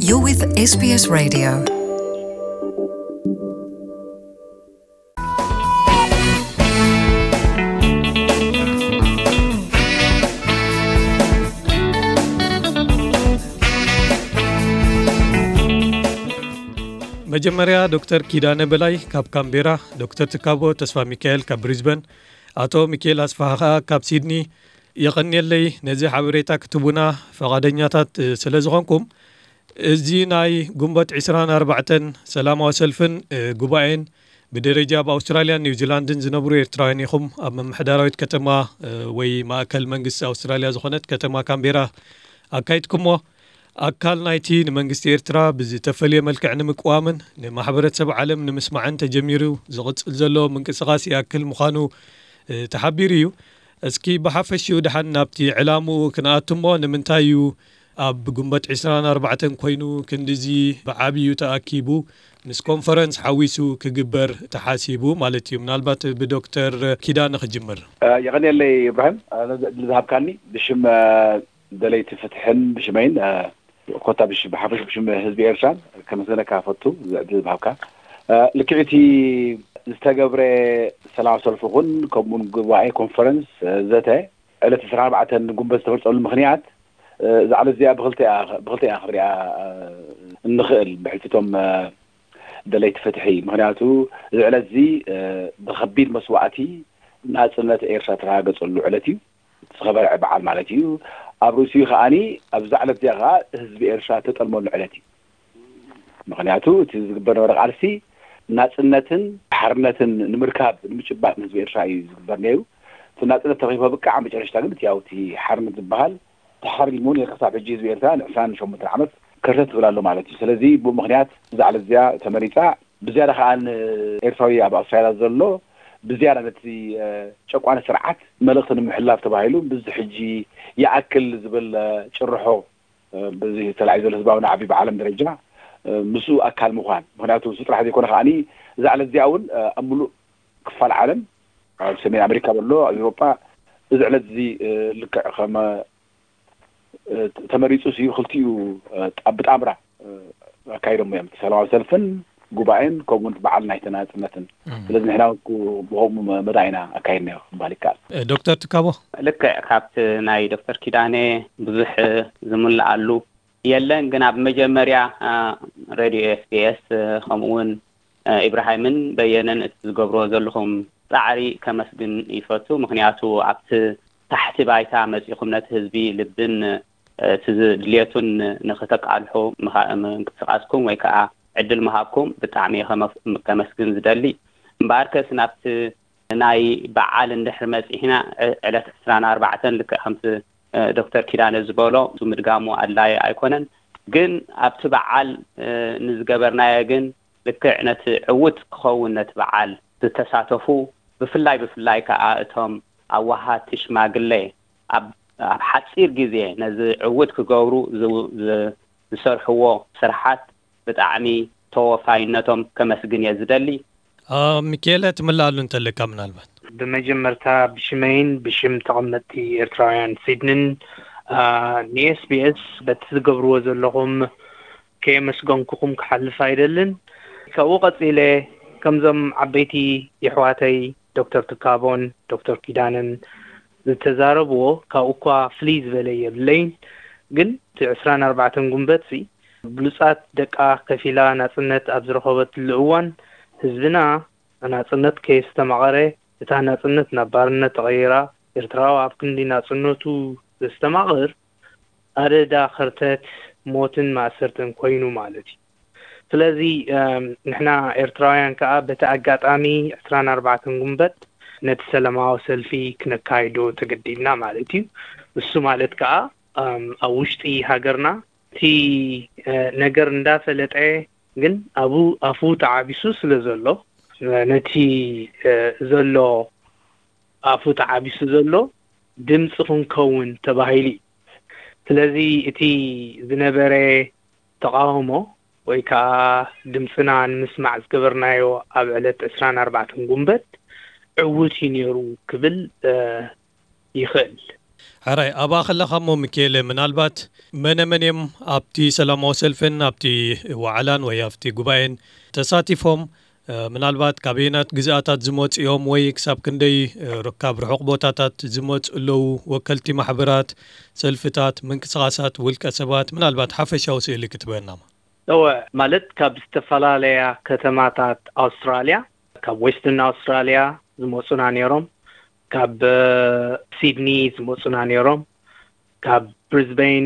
You're with S B S Radio. መጀመርያ ዶክተር ኪዳነ በላይ ካብ ካምቤራ፣ ዶክተር ትካቦ ተስፋ ሚካኤል ካብ ብሪዝበን፣ ኣቶ ሚካኤል ኣስፋሃ ከኣ ካብ ሲድኒ። የቐንየለይ ነዚ ሓበሬታ ክትቡና ፈቓደኛታት ስለ ዝኾንኩም። እዚ ናይ ጉንበት ዕስራን ኣርባዕተን ሰላማዊ ሰልፍን ጉባኤን ብደረጃ ኣብ ኣውስትራልያን ኒውዚላንድን ዝነብሩ ኤርትራውያን ኢኹም ኣብ ምምሕዳራዊት ከተማ ወይ ማእከል መንግስቲ ኣውስትራልያ ዝኾነት ከተማ ካምቤራ ኣካይድኩሞ። ኣካል ናይቲ ንመንግስቲ ኤርትራ ብዝተፈልየ መልክዕ ንምቅዋምን ንማሕበረሰብ ዓለም ንምስማዕን ተጀሚሩ ዝቕጽል ዘሎ ምንቅስቓስ ይኣክል ምዃኑ ተሓቢሩ እዩ። እስኪ ብሓፈሽኡ ደሓን ናብቲ ዕላምኡ ክንኣቱ እሞ፣ ንምንታይ እዩ ኣብ ጉንበት ዕስራን ኣርባዕተን ኮይኑ ክንድዚ ብዓብዩ ተኣኪቡ ምስ ኮንፈረንስ ሓዊሱ ክግበር ተሓሲቡ ማለት እዩ? ምናልባት ብዶክተር ኪዳነ ክጅምር። የቐንየለይ ኢብራሂም ዝሃብካኒ። ብሽም ደለይቲ ፍትሕን ብሽመይን ኮታ ብሓፈሽ ብሽም ህዝቢ ኤርትራን ከመስገነካ ፈቱ። ዝዕድል ዝሃብካ ልክዕቲ ዝተገብረ ሰላም ሰልፊ ኹን ከምኡን ጉባኤ ኮንፈረንስ ዘተ ዕለት ዕስራን ኣርባዕተን ጉንበት ዝተፈልፀሉ ምኽንያት እዛ ዕለት እዚኣ ብክልተ እያ ክሪኣ እንኽእል ብሕልፊቶም ደለይቲ ፍትሒ። ምክንያቱ እዚ ዕለት እዚ ብከቢድ መስዋእቲ ናፅነት ኤርትራ ተረጋገፀሉ ዕለት እዩ። ዝኸበረ በዓል ማለት እዩ። ኣብ ርእሲኡ ከዓኒ ኣብዛ ዕለት እዚኣ ከዓ ህዝቢ ኤርትራ ተጠልመሉ ዕለት እዩ። ምክንያቱ እቲ ዝግበር ነበረ ቃልሲ ናፅነትን ሓርነትን ንምርካብ ንምጭባጥ ህዝቢ ኤርትራ እዩ ዝግበር ነይሩ። እቲ ናፅነት ተረኪቡ በቃ መጨረሽታ ግን እቲ ያው እቲ ሓርነት ዝበሃል ተሓሪሙ ነይሩ። ክሳብ ሕጂ ህዝቢ ኤርትራ ንዕስራን ሸሞንተን ዓመት ከርተት ትብል ኣሎ ማለት እዩ። ስለዚ ብኡ ምክንያት እዛ ዕለት እዚኣ ተመሪፃ ብዝያዳ ከዓ ንኤርትራዊ ኣብ ኣውስትራልያ ዘሎ ብዝያዳ ነቲ ጨቋኒ ስርዓት መልእክቲ ንምሕላፍ ተባሂሉ ብዚ ሕጂ ይኣክል ዝብል ጭርሖ በዚ ተላዒ ዘሎ ህዝባዊ ናዕቢ ብዓለም ደረጃ ምስኡ ኣካል ምዃን። ምክንያቱ እሱ ጥራሕ ዘይኮነ ከዓኒ እዛ ዕለት እዚኣ እውን ኣብ ምሉእ ክፋል ዓለም ኣብ ሰሜን ኣሜሪካ በሎ ኣብ ኤውሮጳ እዚ ዕለት እዚ ልክዕ ከመ ተመሪፁ ሲ ክልቲኡ ብጣምራ ኣካይዶም እዮም። ሰላማዊ ሰልፍን ጉባኤን ከምኡውን በዓል ናይ ተናፅነትን። ስለዚ ንሕና ብከምኡ መዳ ኢና ኣካይድናዮ ክበሃል ይከኣል። ዶክተር ትካቦ፣ ልክዕ ካብቲ ናይ ዶክተር ኪዳነ ብዙሕ ዝምልኣሉ የለን፣ ግን ኣብ መጀመርያ ሬድዮ ኤስቢኤስ ከምኡውን ኢብራሂምን በየነን እቲ ዝገብርዎ ዘለኹም ፃዕሪ ከመስግን ይፈቱ። ምክንያቱ ኣብቲ ታሕቲ ባይታ መፂኹም ነቲ ህዝቢ ልብን እቲ ድልየቱን ንክተቃልሑ ምንቅስቃስኩም ወይ ከዓ ዕድል ምሃብኩም ብጣዕሚ ከመስግን ዝደሊ። እምበኣርከስ ናብቲ ናይ በዓል እንድሕር መፂሕና ዕለት ዕስራን ኣርባዕተን ልክዕ ከምቲ ዶክተር ኪዳነ ዝበሎ ምድጋሙ ኣድላይ ኣይኮነን። ግን ኣብቲ በዓል ንዝገበርናዮ ግን ልክዕ ነቲ ዕውት ክኸውን ነቲ በዓል ዝተሳተፉ ብፍላይ ብፍላይ ከዓ እቶም ኣዋሃድቲ ሽማግሌ ኣብ ኣብ ሓፂር ግዜ ነዚ ዕውት ክገብሩ ዝሰርሕዎ ስርሓት ብጣዕሚ ተወፋይነቶም ከመስግን እየ ዝደሊ። ሚካኤለ ትምልኣሉ እንተለካ ምናልባት። ብመጀመርታ ብሽመይን ብሽም ተቐመጥቲ ኤርትራውያን ሲድንን ንኤስቢኤስ በቲ ዝገብርዎ ዘለኹም ከየመስገንኩኹም ክሓልፍ ኣይደልን። ካብኡ ቀፂለ ከምዞም ዓበይቲ የሕዋተይ ዶክተር ትካቦን ዶክተር ኪዳነን ዝተዛረብዎ ካብኡ እኳ ፍልይ ዝበለ የብለይን። ግን እቲ ዕስራን ኣርባዕተን ጉንበት ሲ ብሉጻት ደቃ ከፊላ ናጽነት ኣብ ዝረኸበትሉ እዋን ህዝብና ናጽነት ከየስተማቐረ እታ ናጽነት ናብ ባርነት ተቐይራ ኤርትራዊ ኣብ ክንዲ ናጽነቱ ዘስተማቕር ኣደዳ ከርተት ሞትን ማእሰርትን ኮይኑ ማለት እዩ። ስለዚ ንሕና ኤርትራውያን ከዓ በቲ ኣጋጣሚ ዕስራን ኣርባዕተን ጉንበት ነቲ ሰላማዊ ሰልፊ ክነካይዶ ተገዲድና ማለት እዩ። እሱ ማለት ከዓ ኣብ ውሽጢ ሃገርና እቲ ነገር እንዳፈለጠ ግን ኣብኡ ኣፉ ተዓቢሱ ስለ ዘሎ ነቲ ዘሎ ኣፉ ተዓቢሱ ዘሎ ድምፂ ክንከውን ተባሂሉ እዩ። ስለዚ እቲ ዝነበረ ተቃውሞ ወይ ከዓ ድምፅና ንምስማዕ ዝገበርናዮ ኣብ ዕለት ዕስራን ኣርባዕተን ጉንበት ዕውት እዩ ነይሩ ክብል ይኽእል። ሕራይ፣ ኣብኣ ከለኻ እሞ፣ ሚካኤለ፣ ምናልባት መነ መን እዮም ኣብቲ ሰላማዊ ሰልፍን ኣብቲ ዋዕላን ወይ ኣብቲ ጉባኤን ተሳቲፎም? ምናልባት ካበየናት ግዝኣታት ዝመፁ እዮም ወይ ክሳብ ክንደይ ካብ ርሑቕ ቦታታት ዝመፁ ኣለዉ? ወከልቲ ማሕበራት፣ ሰልፍታት፣ ምንቅስቃሳት፣ ውልቀ ሰባት፣ ምናልባት ሓፈሻዊ ስእሊ ክትበናማ። እወ፣ ማለት ካብ ዝተፈላለያ ከተማታት ኣውስትራልያ፣ ካብ ዌስተርን ኣውስትራልያ ዝመፁና ነይሮም፣ ካብ ሲድኒ ዝመፁና ነይሮም፣ ካብ ብሪዝበን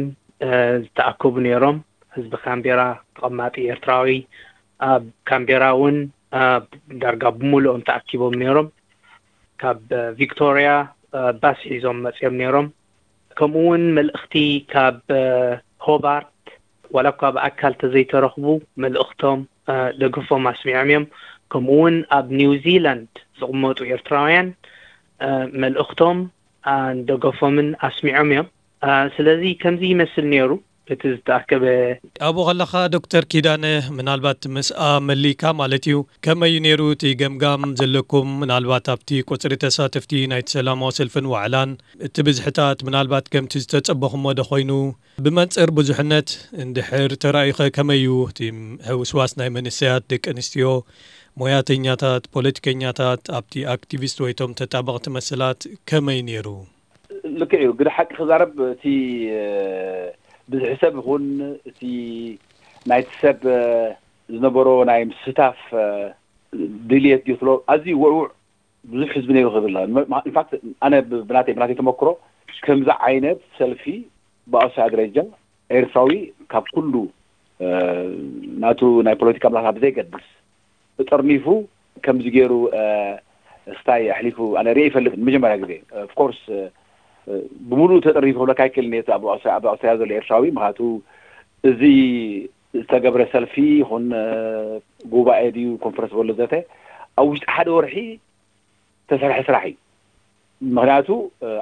ዝተኣከቡ ነይሮም። ህዝቢ ካምቤራ፣ ተቐማጢ ኤርትራዊ ኣብ ካምቤራ እውን ዳርጋ ብምሉኦም ተኣኪቦም ነይሮም። ካብ ቪክቶርያ ባስ ሒዞም መፅኦም ነይሮም። ከምኡ እውን መልእኽቲ ካብ ሆባርት፣ ዋላ እኳ ብኣካል ተዘይተረኽቡ፣ መልእኽቶም ደገፎም ኣስሚዖም እዮም። ከምኡ እውን ኣብ ኒውዚላንድ ዝቕመጡ ኤርትራውያን መልእኽቶም ደገፎምን ኣስሚዖም እዮም። ስለዚ ከምዚ ይመስል ነይሩ እቲ ዝተኣከበ። ኣብኡ ከለኻ ዶክተር ኪዳነ፣ ምናልባት ምስኣ መሊካ ማለት እዩ፣ ከመይ እዩ ነይሩ እቲ ገምጋም ዘለኩም? ምናልባት ኣብቲ ቁፅሪ ተሳተፍቲ ናይቲ ሰላማዊ ሰልፍን ዋዕላን እቲ ብዝሕታት ምናልባት ከምቲ ዝተፀበኹሞ ዶ ኮይኑ? ብመንፅር ብዙሕነት እንድሕር ተራእዩኸ ከመይ እዩ እቲ ሕውስዋስ ናይ መንእሰያት፣ ደቂ ኣንስትዮ፣ ሞያተኛታት፣ ፖለቲከኛታት፣ ኣብቲ ኣክቲቪስት ወይ እቶም ተጣበቕቲ መሰላት ከመይ ነይሩ? ልክዕ እዩ። ግደ ሓቂ ክዛረብ፣ እቲ ብዝሒ ሰብ ይኹን እቲ ናይቲ ሰብ ዝነበሮ ናይ ምስታፍ ድልየት ድዩ ትሎ ኣዝዩ ውዕውዕ ብዙሕ ህዝቢ ነይሩ ክብል። ኢንፋክት ኣነ ብናተይ ብናተይ ተመክሮ ከምዚ ዓይነት ሰልፊ ብኣውስትራልያ ደረጃ ኤርትራዊ ካብ ኩሉ ናቱ ናይ ፖለቲካ ኣመላልሳ ብዘይገድስ ተጠርኒፉ ከምዚ ገይሩ ስታይ ኣሕሊፉ ኣነ ሪኤ ይፈልጥ። መጀመርያ ግዜ ኦፍኮርስ ብምሉእ ተጠርኒፉ ክብለካ ኣይክእልን እየ። ኣብ ኣውስትራልያ ዘሎ ኤርትራዊ ምክንያቱ እዚ ዝተገብረ ሰልፊ ይኹን ጉባኤ ድዩ ኮንፈረንስ በሎ ዘተ ኣብ ውሽጢ ሓደ ወርሒ ተሰርሐ ስራሕ እዩ። ምክንያቱ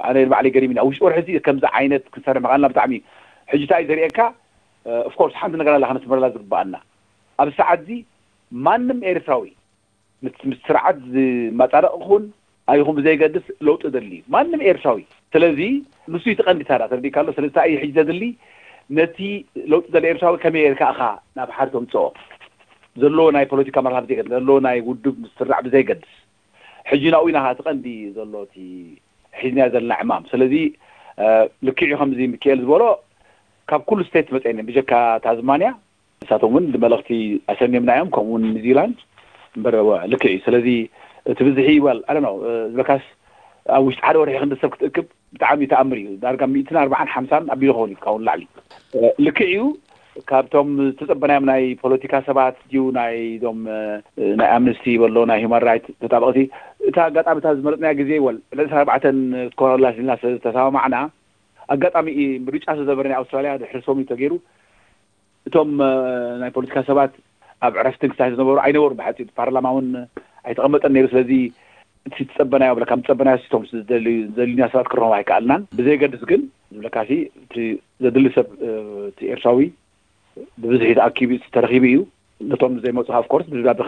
ኣነ ንባዕለይ ገሪምኒ ኣብ ውሽጢ ወርሒ እዚ ከምዚ ዓይነት ክንሰርሕ ምኽኣልና ብጣዕሚ እዩ። ሕጂ እንታይ እዩ ዘርእየካ? ኦፍኮርስ ሓንቲ ነገር ኣላ ከነስምረላ ዝግባኣና፣ ኣብ ሰዓት እዚ ማንም ኤርትራዊ ምስ ምስ ስርዓት ዝመጻደቕ ይኹን ኣይኹን ብዘይገድስ ለውጢ ደሊ እዩ ማንም ኤርትራዊ። ስለዚ ንሱ እዩ እቲ ቀንዲ ታራ ተረዲእካ ኣሎ። ስለዚ እንታይ እዩ ሕጂ ዘድሊ? ነቲ ለውጢ ደሊ ኤርትራዊ ከመይ ጌርካ ኢኻ ናብ ሓደ ተምጽኦ? ዘለዎ ናይ ፖለቲካ መርሃ ብዘይገድስ፣ ዘለዎ ናይ ውድብ ምስራዕ ብዘይገድስ፣ ሕጂ ናብኡ ኢና እቲ ቀንዲ ዘሎ እቲ ሒዝናዮ ዘለና ዕማም። ስለዚ ልክዕ እዩ ከምዚ ሚካኤል ዝበሎ ካብ ኩሉ ስቴት መፅአን ብጀካ ታዝማንያ ንሳቶም እውን መልእኽቲ ኣሰኒምና እዮም፣ ከምኡ እውን ኒውዚላንድ እምበር። ልክዕ እዩ። ስለዚ እቲ ብዝሒ ይበል ኣለ ነው ዝበካስ ኣብ ውሽጢ ሓደ ወርሒ ክንዲ ሰብ ክትእክብ ብጣዕሚ ተኣምር እዩ። ዳርጋ ሚእትን ኣርባዓን ሓምሳን ኣቢሉ ክኸውን እዩ ካብኡ ንላዕሊ። ልክዕ እዩ። ካብቶም ዝተጸበናዮም ናይ ፖለቲካ ሰባት ድዩ ናይ ዞም ናይ ኣምነስቲ በሎ ናይ ሂማን ራይት ተጣበቕቲ፣ እታ ኣጋጣሚ እታ ዝመረጽናያ ግዜ ወል ዕለት ኣርባዕተን ትኮራላስ ኢልና ዝተሰማማዕና ኣጋጣሚ ምርጫ ዝተዘበረ ናይ ኣውስትራልያ ድሕሪ ሶሚ ተገይሩ እቶም ናይ ፖለቲካ ሰባት ኣብ ዕረፍቲ ክሳይ ዝነበሩ ኣይነበሩ ብሓፂ ፓርላማ እውን ኣይተቐመጠን ነይሩ። ስለዚ እቲ ትጸበናዮ ብለካ ምጸበናዮ ሲቶም ዝደልዩና ሰባት ክረኸቡ ኣይከኣልናን። ብዘይገድስ ግን ዝብለካ እቲ ዘድሊ ሰብ እቲ ኤርትራዊ ብብዝሒ ተኣኪቡ ተረኺቡ እዩ። ነቶም ዘይመፁ ኦፍኮርስ ብደብዳቤ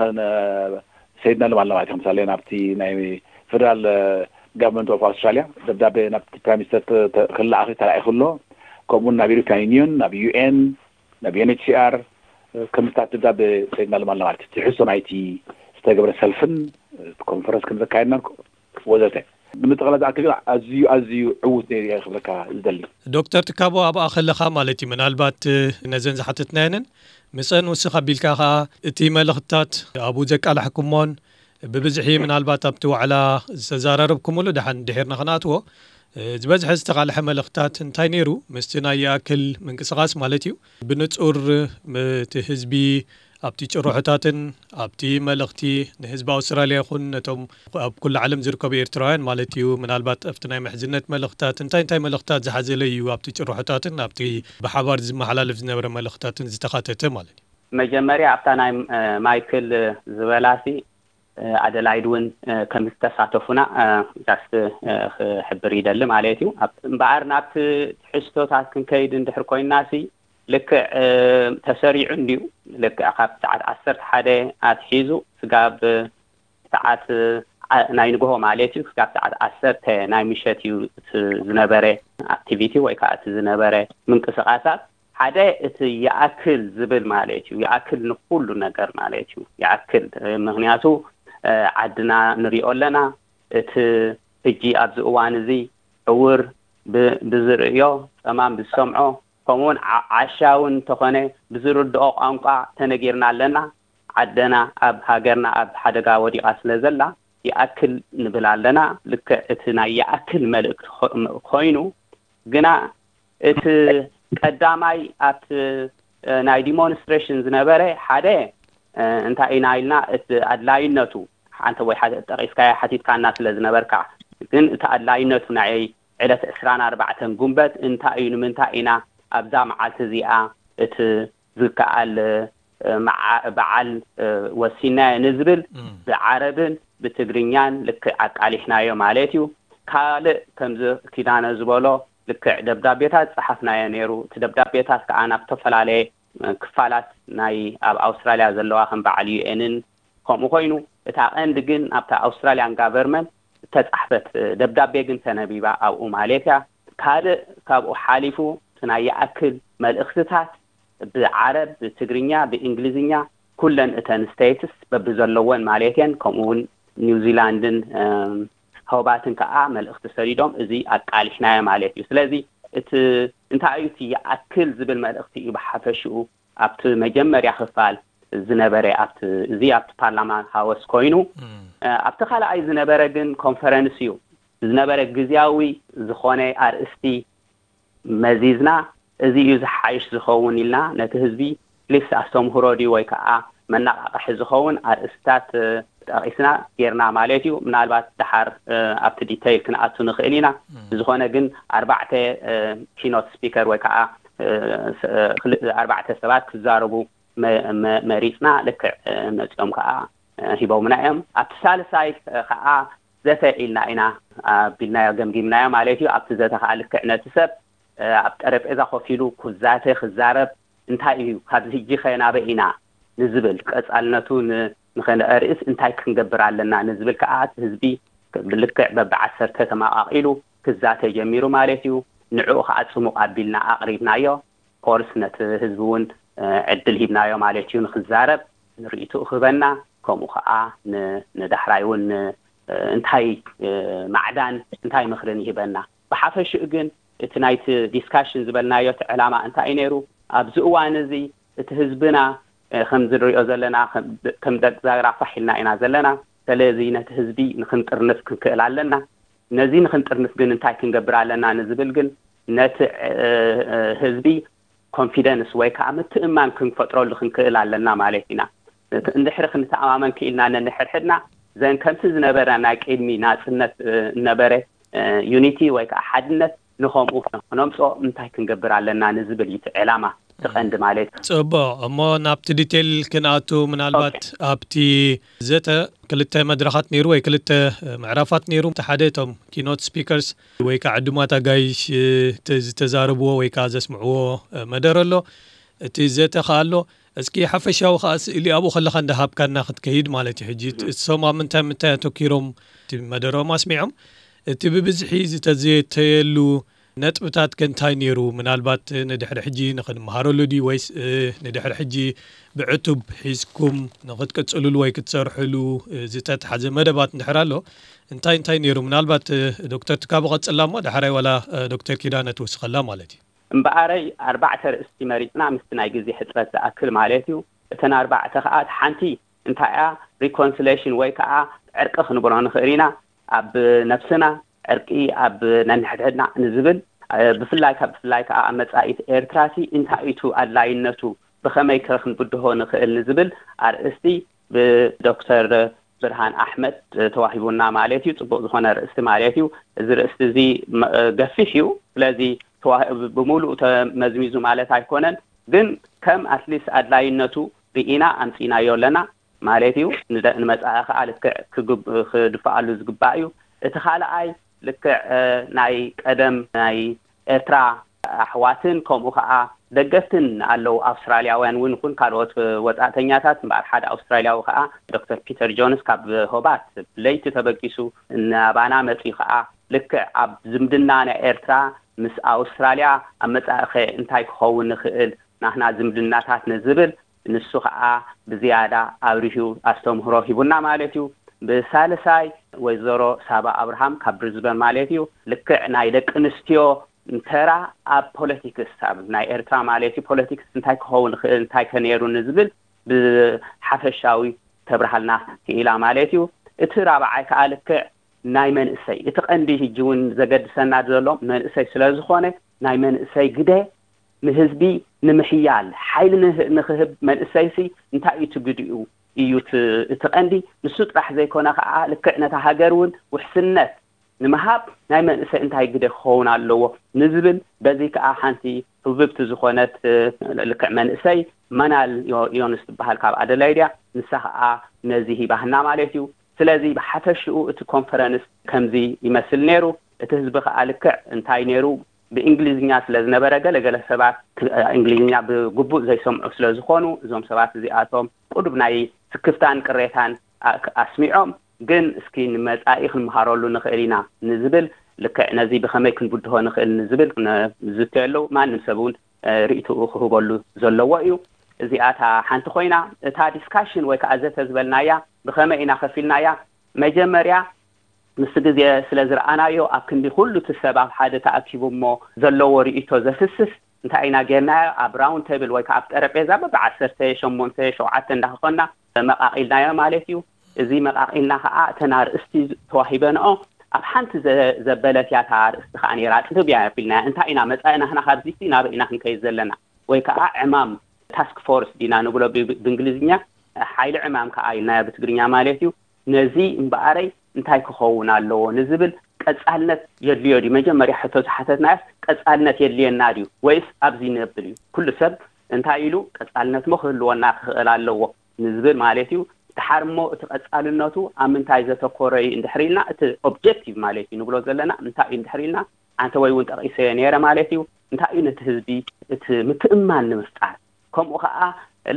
ሰይድና ሎም ኣለና ማለት ከም ምሳሌ ናብቲ ናይ ፌደራል ጋቨርንመንት ኦፍ ኣውስትራሊያ ደብዳቤ ናብቲ ፕራይም ሚኒስተር ክለኣኽ ተላኢኹ ኣሎ። ከምኡውን ናብ ኢሮፒያን ዩኒዮን ናብ ዩኤን ናብ ዩኤንኤችሲኣር ከም ዝታት ደብዳቤ ሰይድና ሎም ኣለና ማለት ትሕዝቶ ናይቲ ዝተገብረ ሰልፍን ኮንፈረንስ ከም ዘካየድናን ወዘተ ንምጥቕላል ዝኣክል ግን ኣዝዩ ኣዝዩ ዕዉት ነይሩ እየ ክብለካ ዝደሊ። ዶክተር ትካቦ ኣብኣ ከለኻ ማለት እዩ ምናልባት ነዘን ዝሓተትናየንን ምፀን ውስኽ ኣቢልካ ከዓ እቲ መልእኽትታት ኣብኡ ዘቃላሕኩሞን ብብዝሒ ምናልባት ኣብቲ ዋዕላ ዝተዛራረብኩምሉ ደሓን ድሒርና ክንኣትዎ ዝበዝሐ ዝተቃልሐ መልእኽትታት እንታይ ነይሩ ምስቲ ናይ ይኣክል ምንቅስቃስ ማለት እዩ ብንፁር እቲ ህዝቢ ኣብቲ ጭርሖታትን ኣብቲ መልእኽቲ ንህዝቢ ኣውስትራልያ ይኹን ነቶም ኣብ ኩሉ ዓለም ዝርከቡ ኤርትራውያን ማለት እዩ ምናልባት ኣብቲ ናይ ምሕዝነት መልእኽትታት እንታይ እንታይ መልእኽትታት ዝሓዘለ እዩ ኣብቲ ጭርሖታትን ኣብቲ ብሓባር ዝመሓላለፍ ዝነበረ መልእኽትታትን ዝተኻተተ ማለት እዩ። መጀመርያ ኣብታ ናይ ማይክል ዝበላሲ ኣደላይድ እውን ከም ዝተሳተፉና ጃስት ክሕብር ይደሊ ማለት እዩ። እምበኣር ናብቲ ትሕዝቶታት ክንከይድ እንድሕር ኮይንና ሲ ልክዕ ተሰሪዑ እንድዩ። ልክዕ ካብ ሰዓት ዓሰርተ ሓደ ኣትሒዙ ስጋብ ሰዓት ኣ- ናይ ንግሆ ማለት እዩ፣ ክሳብ ሰዓት ዓሰርተ ናይ ምሸት እዩ እቲ ዝነበረ ኣክቲቪቲ ወይ ከዓ እቲ ዝነበረ ምንቅስቃሳት። ሓደ እቲ ይኣክል ዝብል ማለት እዩ፣ ይኣክል ንኩሉ ነገር ማለት እዩ። ይኣክል እ፣ ምክንያቱ እ፣ ዓድና ንሪኦ ኣለና። እቲ ሕጂ ኣብዚ እዋን እዚ ዕውር ብ- ብዝርእዮ፣ ጸማም ብዝሰምዖ፣ ከምኡውን ዓ- ዓሻ እውን እንተኾነ ብዝርድኦ ቋንቋ ተነጊርና ኣለና። ዓደና ኣብ ሃገርና ኣብ ሓደጋ ወዲቓ ስለ ዘላ ይኣክል ንብል ኣለና። ልክዕ እቲ ናይ ይኣክል መልእክቲ ኾ- ኮይኑ ግና እቲ ቀዳማይ ኣብቲ እ፣ ናይ ዲሞንስትሬሽን ዝነበረ ሓደ እ፣ እንታይ ኢና ኢልና እቲ ኣድላይነቱ ሓንተ ወይ ሓደ ጠቂስካያ ሓቲትካና ስለ ዝነበርካ፣ ግን እቲ ኣድላይነቱ ናይ ዕለት ዕስራን ኣርባዕተን ጉንበት እንታይ እዩ፣ ንምንታይ ኢና ኣብዛ መዓልቲ እዚኣ እቲ ዝከኣል እ፣ መዓ- በዓል እ፣ ወሲናዮ ንዝብል ብዓረብን ብትግርኛን ልክዕ ኣቃሊሕናዮ ማለት እዩ። ካልእ ከምዚ ኪዳነ ዝበሎ ልክዕ ደብዳቤታት ጸሓፍናዮ ነይሩ። እቲ ደብዳቤታት ከዓ ናብ ዝተፈላለየ እ፣ ክፋላት ናይ ኣብ ኣውስትራልያ ዘለዋ ከም በዓል ዩኤንን ከምኡ ኮይኑ፣ እታ ቀንዲ ግን ኣብታ ኣውስትራልያን ጋቨርመንት እተጻሕፈት እ፣ ደብዳቤ ግን ተነቢባ ኣብኡ ማለት እያ። ካልእ ካብኡ ሓሊፉ እቲ ናይ ይኣክል መልእኽትታት ብዓረብ፣ ብትግርኛ፣ ብእንግሊዝኛ ኩለን እተን ስቴትስ በብዘለወን ማለት እየን፣ ከምኡ እውን ኒውዚላንድን እ፣ ሆባትን ከዓ መልእኽቲ ሰዲዶም እዚ ኣቃሊሕናዮ ማለት እዩ። ስለዚ እቲ እንታይ እዩ እቲ ይኣክል ዝብል መልእኽቲ እዩ ብሓፈሽኡ ኣብቲ መጀመርያ ክፋል ዝነበረ ኣብቲ እዚ ኣብቲ ፓርላማ ሃወስ ኮይኑ እ፣ ኣብቲ ካልኣይ ዝነበረ ግን ኮንፈረንስ እዩ ዝነበረ። ግዝያዊ ዝኾነ ኣርእስቲ መዚዝና እዚ እዩ ዝሓይሽ ዝኸውን ኢልና ነቲ ህዝቢ ሊስ ኣስተምህሮ ድዩ ወይ ከዓ መነቃቕሒ ዝኸውን ኣርእስታት እ፣ ጠቂስና ጌርና ማለት እዩ። ምናልባት ድሓር እ፣ ኣብቲ ዲተይል ክንኣቱ ንኽእል ኢና። ብዝኾነ ግን ኣርባዕተ ኪኖት ስፒከር ወይ ከዓ እ፣ ስ- እ፣ ክል- ኣርባዕተ ሰባት ክዛረቡ መ- መ- መሪፅና። ልክዕ እ፣ መፂኦም ከዓ እ፣ ሂቦምና እዮም። ኣብቲ ሳልሳይ እ፣ ከዓ ዘተ ኢልና ኢና ኣቢልናዮ፣ ገምጊምናዮ ማለት እዩ። ኣብቲ ዘተ ከዓ ልክዕ ነቲ ሰብ እ፣ ኣብ ጠረጴዛ ኮፍ ኢሉ ክዛተ ክዛረብ እንታይ እዩ ካብዚ ሕጂ ከ ናበይ ኢና ንዝብል ቀፃልነቱ ን- ንኸነርእስ እንታይ ክንገብር ኣለና ንዝብል ከዓ እቲ ህዝቢ ብልክዕ በብዓሰርተ ተመቃቂሉ ክዛተ ጀሚሩ ማለት እዩ። ንዕኡ ከዓ ፅሙቅ ኣቢልና ኣቅሪብናዮ። ኮርስ ነቲ ህዝቢ እውን እ፣ ዕድል ሂብናዮ ማለት እዩ ንክዛረብ ንርእይትኡ ክህበና፣ ከምኡ ከዓ ን- ንዳሕራይ እውን እ፣ እንታይ እ፣ ማዕዳን እንታይ ምኽርን ይህበና። ብሓፈሽኡ ግን እቲ ናይቲ ዲስካሽን ዝበልናዮ እቲ ዕላማ እንታይ እዩ ነይሩ? ኣብዚ እዋን እዚ እቲ ህዝብና እ፣ ከም ዝንሪኦ ዘለና ከም- ከም ደቂ ዛግራ ፋሕ ኢልና ኢና ዘለና። ስለዚ ነቲ ህዝቢ ንክንጥርንፍ ክንክእል ኣለና። ነዚ ንክንጥርንፍ ግን እንታይ ክንገብር ኣለና ንዝብል ግን ነቲ እ፣ እ፣ ህዝቢ ኮንፊደንስ ወይ ከዓ ምትእማን ክንፈጥረሉ ክንክእል ኣለና ማለት ኢና። እቲ- እንድሕሪ ክንተኣማመን ክኢልና ነንሕድሕድና ዘን ከምቲ ዝነበረ ናይ ቅድሚ ናፅነት እ፣ ነበረ እ፣ ዩኒቲ ወይ ከዓ ሓድነት ንኸምኡ ክነምፅኦ እንታይ ክንገብር ኣለና ንዝብል እዩ እቲ ዕላማ፣ እቲ ቀንዲ ማለት እዩ። ፅቡቅ እሞ ናብቲ ዲቴል ክንኣቱ ምናልባት ኣብቲ ዘተ ክልተ መድረኻት ነይሩ ወይ ክልተ ምዕራፋት ነይሩ። እቲ ሓደ እቶም ኪኖት ስፒከርስ ወይ ከዓ ዕዱማት ኣጋይሽ እ፣ ተ- ዝተዛረብዎ ወይ ከዓ ዘስምዕዎ እ፣ መደረ ኣሎ። እቲ ዘተ ከዓ ኣሎ። እስኪ ሓፈሻዊ ከዓ ስእሊ ኣብኡ ከለካ እንዳሃብካና ክትከይድ ማለት እዩ። ሕጂ እሶም ኣብ ምንታይ ምንታይ ኣተኪሮም እቲ መደሮም ኣስሚዖም፣ እቲ ብብዝሒ ዝተዘተየሉ ነጥብታት ከ እንታይ ነይሩ? ምናልባት ንድሕሪ ሕጂ ንክንመሃረሉ ድዩ ወይስ እ፣ ንድሕሪ ሕጂ ብዕቱብ ሒዝኩም ንክትቅፅልሉ ወይ ክትሰርሕሉ እ፣ ዝተትሓዘ መደባት እንድሕር ኣሎ እንታይ እንታይ ነይሩ? ምናልባት እ፣ ዶክተር ትካቦ ቀፅላ እሞ ዳሕራይ ዋላ እ፣ ዶክተር ኪዳነ ትውስኸላ ማለት እዩ። እምበኣረይ ኣርባዕተ ርእስቲ መሪፅና ምስቲ ናይ ግዜ ሕፅረት ዝኣክል ማለት እዩ። እተን ኣርባዕተ ከዓ እቲ ሓንቲ እንታይ እያ ሪኮንሲሌሽን ወይ ከዓ ዕርቂ ክንብሎ ንኽእል ኢና። ኣብ ነብስና ዕርቂ ኣብ ነንሕድሕድና ንዝብል እ፣ ብፍላይ ካብ ብፍላይ ከዓ ኣብ መፃኢት ኤርትራሲ እንታይ እዩ ኣድላይነቱ ብኸመይ ከ ክንብድሆ ንኽእል ንዝብል ኣርእስቲ ብዶክተር ብርሃን ኣሕመድ ተዋሂቡና ማለት እዩ። ፅቡቅ ዝኾነ ርእስቲ ማለት እዩ። እዚ ርእስቲ እዚ መ- ገፊሕ እዩ። ስለዚ ተዋ- ብምሉእ ተመዝሚዙ ማለት ኣይኮነን፣ ግን ከም ኣትሊስት ኣድላይነቱ ርኢና ኣምፂናዮ ኣለና ማለት እዩ። ንደ- ንመፃኢ ከዓ ልክዕ ክግብ- ክድፈኣሉ ዝግባእ እዩ። እቲ ካልኣይ ልክዕ እ፣ ናይ ቀደም ናይ ኤርትራ ኣሕዋትን ከምኡ ከዓ ደገፍትን ኣለዉ። ኣውስትራልያውያን እውን ይኹን ካልኦት ወጻእተኛታት። እምበኣር ሓደ ኣውስትራልያዊ ከኣ ዶክተር ፒተር ጆንስ ካብ ሆባርት ለይቲ ተበጊሱ ናባና መጺኡ ከኣ ልክዕ ኣብ ዝምድና ናይ ኤርትራ ምስ ኣውስትራልያ ኣብ መጻኢኸ እንታይ ክኸውን ይኽእል ናህና ዝምድናታት ንዝብል ንሱ ከኣ ብዝያዳ ኣብሪሁ ኣስተምህሮ ሂቡና ማለት እዩ። ብሳልሳይ ወይዘሮ ሳባ ኣብርሃም ካብ ብሪዝበን ማለት እዩ። ልክዕ ናይ ደቂ ኣንስትዮ እንተራ ኣብ ፖለቲክስ ኣብ ናይ ኤርትራ ማለት እዩ ፖለቲክስ እንታይ ክኸውን ይኽእል እንታይ ከነይሩ ንዝብል ብሓፈሻዊ ተብርሃልና ክኢላ ማለት እዩ። እቲ ራብዓይ ከዓ ልክዕ ናይ መንእሰይ እቲ ቀንዲ ህጂ እውን ዘገድሰና ዘሎ መንእሰይ ስለ ዝኾነ ናይ መንእሰይ ግደ ንህዝቢ ንምሕያል ሓይሊ ንህ- ንክህብ መንእሰይሲ እንታይ እዩ ትግድኡ እዩ እቲ እቲ ቀንዲ። ንሱ ጥራሕ ዘይኮነ ከዓ ልክዕ ነታ ሃገር እውን ውሕስነት ንምሃብ ናይ መንእሰይ እንታይ ግደ ክኸውን ኣለዎ ንዝብል በዚ ከዓ ሓንቲ ህብብቲ ዝኾነት ልክዕ መንእሰይ መናል ዮንስ ትበሃል ካብ ኣደላይድ እያ። ንሳ ከዓ ነዚ ሂባህና ማለት እዩ። ስለዚ ብሓፈሽኡ እቲ ኮንፈረንስ ከምዚ ይመስል ነይሩ። እቲ ህዝቢ ከዓ ልክዕ እንታይ ነይሩ ብእንግሊዝኛ ስለ ዝነበረ ገለገለ ሰባት እንግሊዝኛ ብግቡእ ዘይሰምዑ ስለ ዝኾኑ እዞም ሰባት እዚኣቶም ቁዱብ ናይ ስክፍታን ቅሬታን ኣስሚዖም ግን እስኪ ንመፃኢ ክንምሃረሉ ንኽእል ኢና ንዝብል ልክዕ ነዚ ብኸመይ ክንብድሆ ንኽእል ንዝብል ዝትየሉ ማንም ሰብ እውን ርእትኡ ክህበሉ ዘለዎ እዩ። እዚኣታ ሓንቲ ኮይና እታ ዲስካሽን ወይ ከዓ ዘተ ዝበልናያ ብኸመይ ኢና ከፊልናያ? መጀመርያ ምስ ግዜ ስለ ዝረኣናዮ ኣብ ክንዲ ኩሉ እቲ ሰብ ኣብ ሓደ ተኣኪቡ እሞ ዘለዎ ርእቶ ዘፍስስ እንታይ ኢና ጌርናዮ? ኣብ ራውንድ ቴብል ወይ ከዓ ኣብ ጠረጴዛ በብዓሰርተ ሸሞንተ ሸውዓተ እንዳኾንና መቃቒልናዮ ማለት እዩ። እዚ መቃቒልና ከዓ እተን ኣርእስቲ ተዋሂበንኦ ኣብ ሓንቲ ዘበለት እያ እታ ኣርእስቲ ከዓ ነይራ ጥብብ እያ ኣቢልናያ እንታይ ኢና መፃኢና ህና ካብዚቲ ናበይ ኢና ክንከይድ ዘለና ወይ ከዓ ዕማም ታስክ ፎርስ ዲና ንብሎ ብእንግሊዝኛ ሓይሊ ዕማም ከዓ ኢልናዮ ብትግርኛ ማለት እዩ። ነዚ እምበኣረይ እንታይ ክኸውን ኣለዎ ንዝብል ቀፃልነት የድልዮ ድዩ? መጀመርያ ሕቶ ዝሓተትናዮስ ቀፃልነት የድልየና ድዩ ወይስ ኣብዚ ነብል እዩ? ኩሉ ሰብ እንታይ ኢሉ ቀፃልነት ሞ ክህልወና ክኽእል ኣለዎ ንዝብል ማለት እዩ። ድሓር እሞ እቲ ቀፃልነቱ ኣብ ምንታይ ዘተኮረ እዩ እንድሕር ኢልና እቲ ኦብጀክቲቭ ማለት እዩ ንብሎ ዘለና እንታይ እዩ እንድሕር ኢልና ኣንተ ወይ እውን ጠቒሰዮ ነይረ ማለት እዩ። እንታይ እዩ ነቲ ህዝቢ እቲ ምትእማን ንምፍጣር ከምኡ ከዓ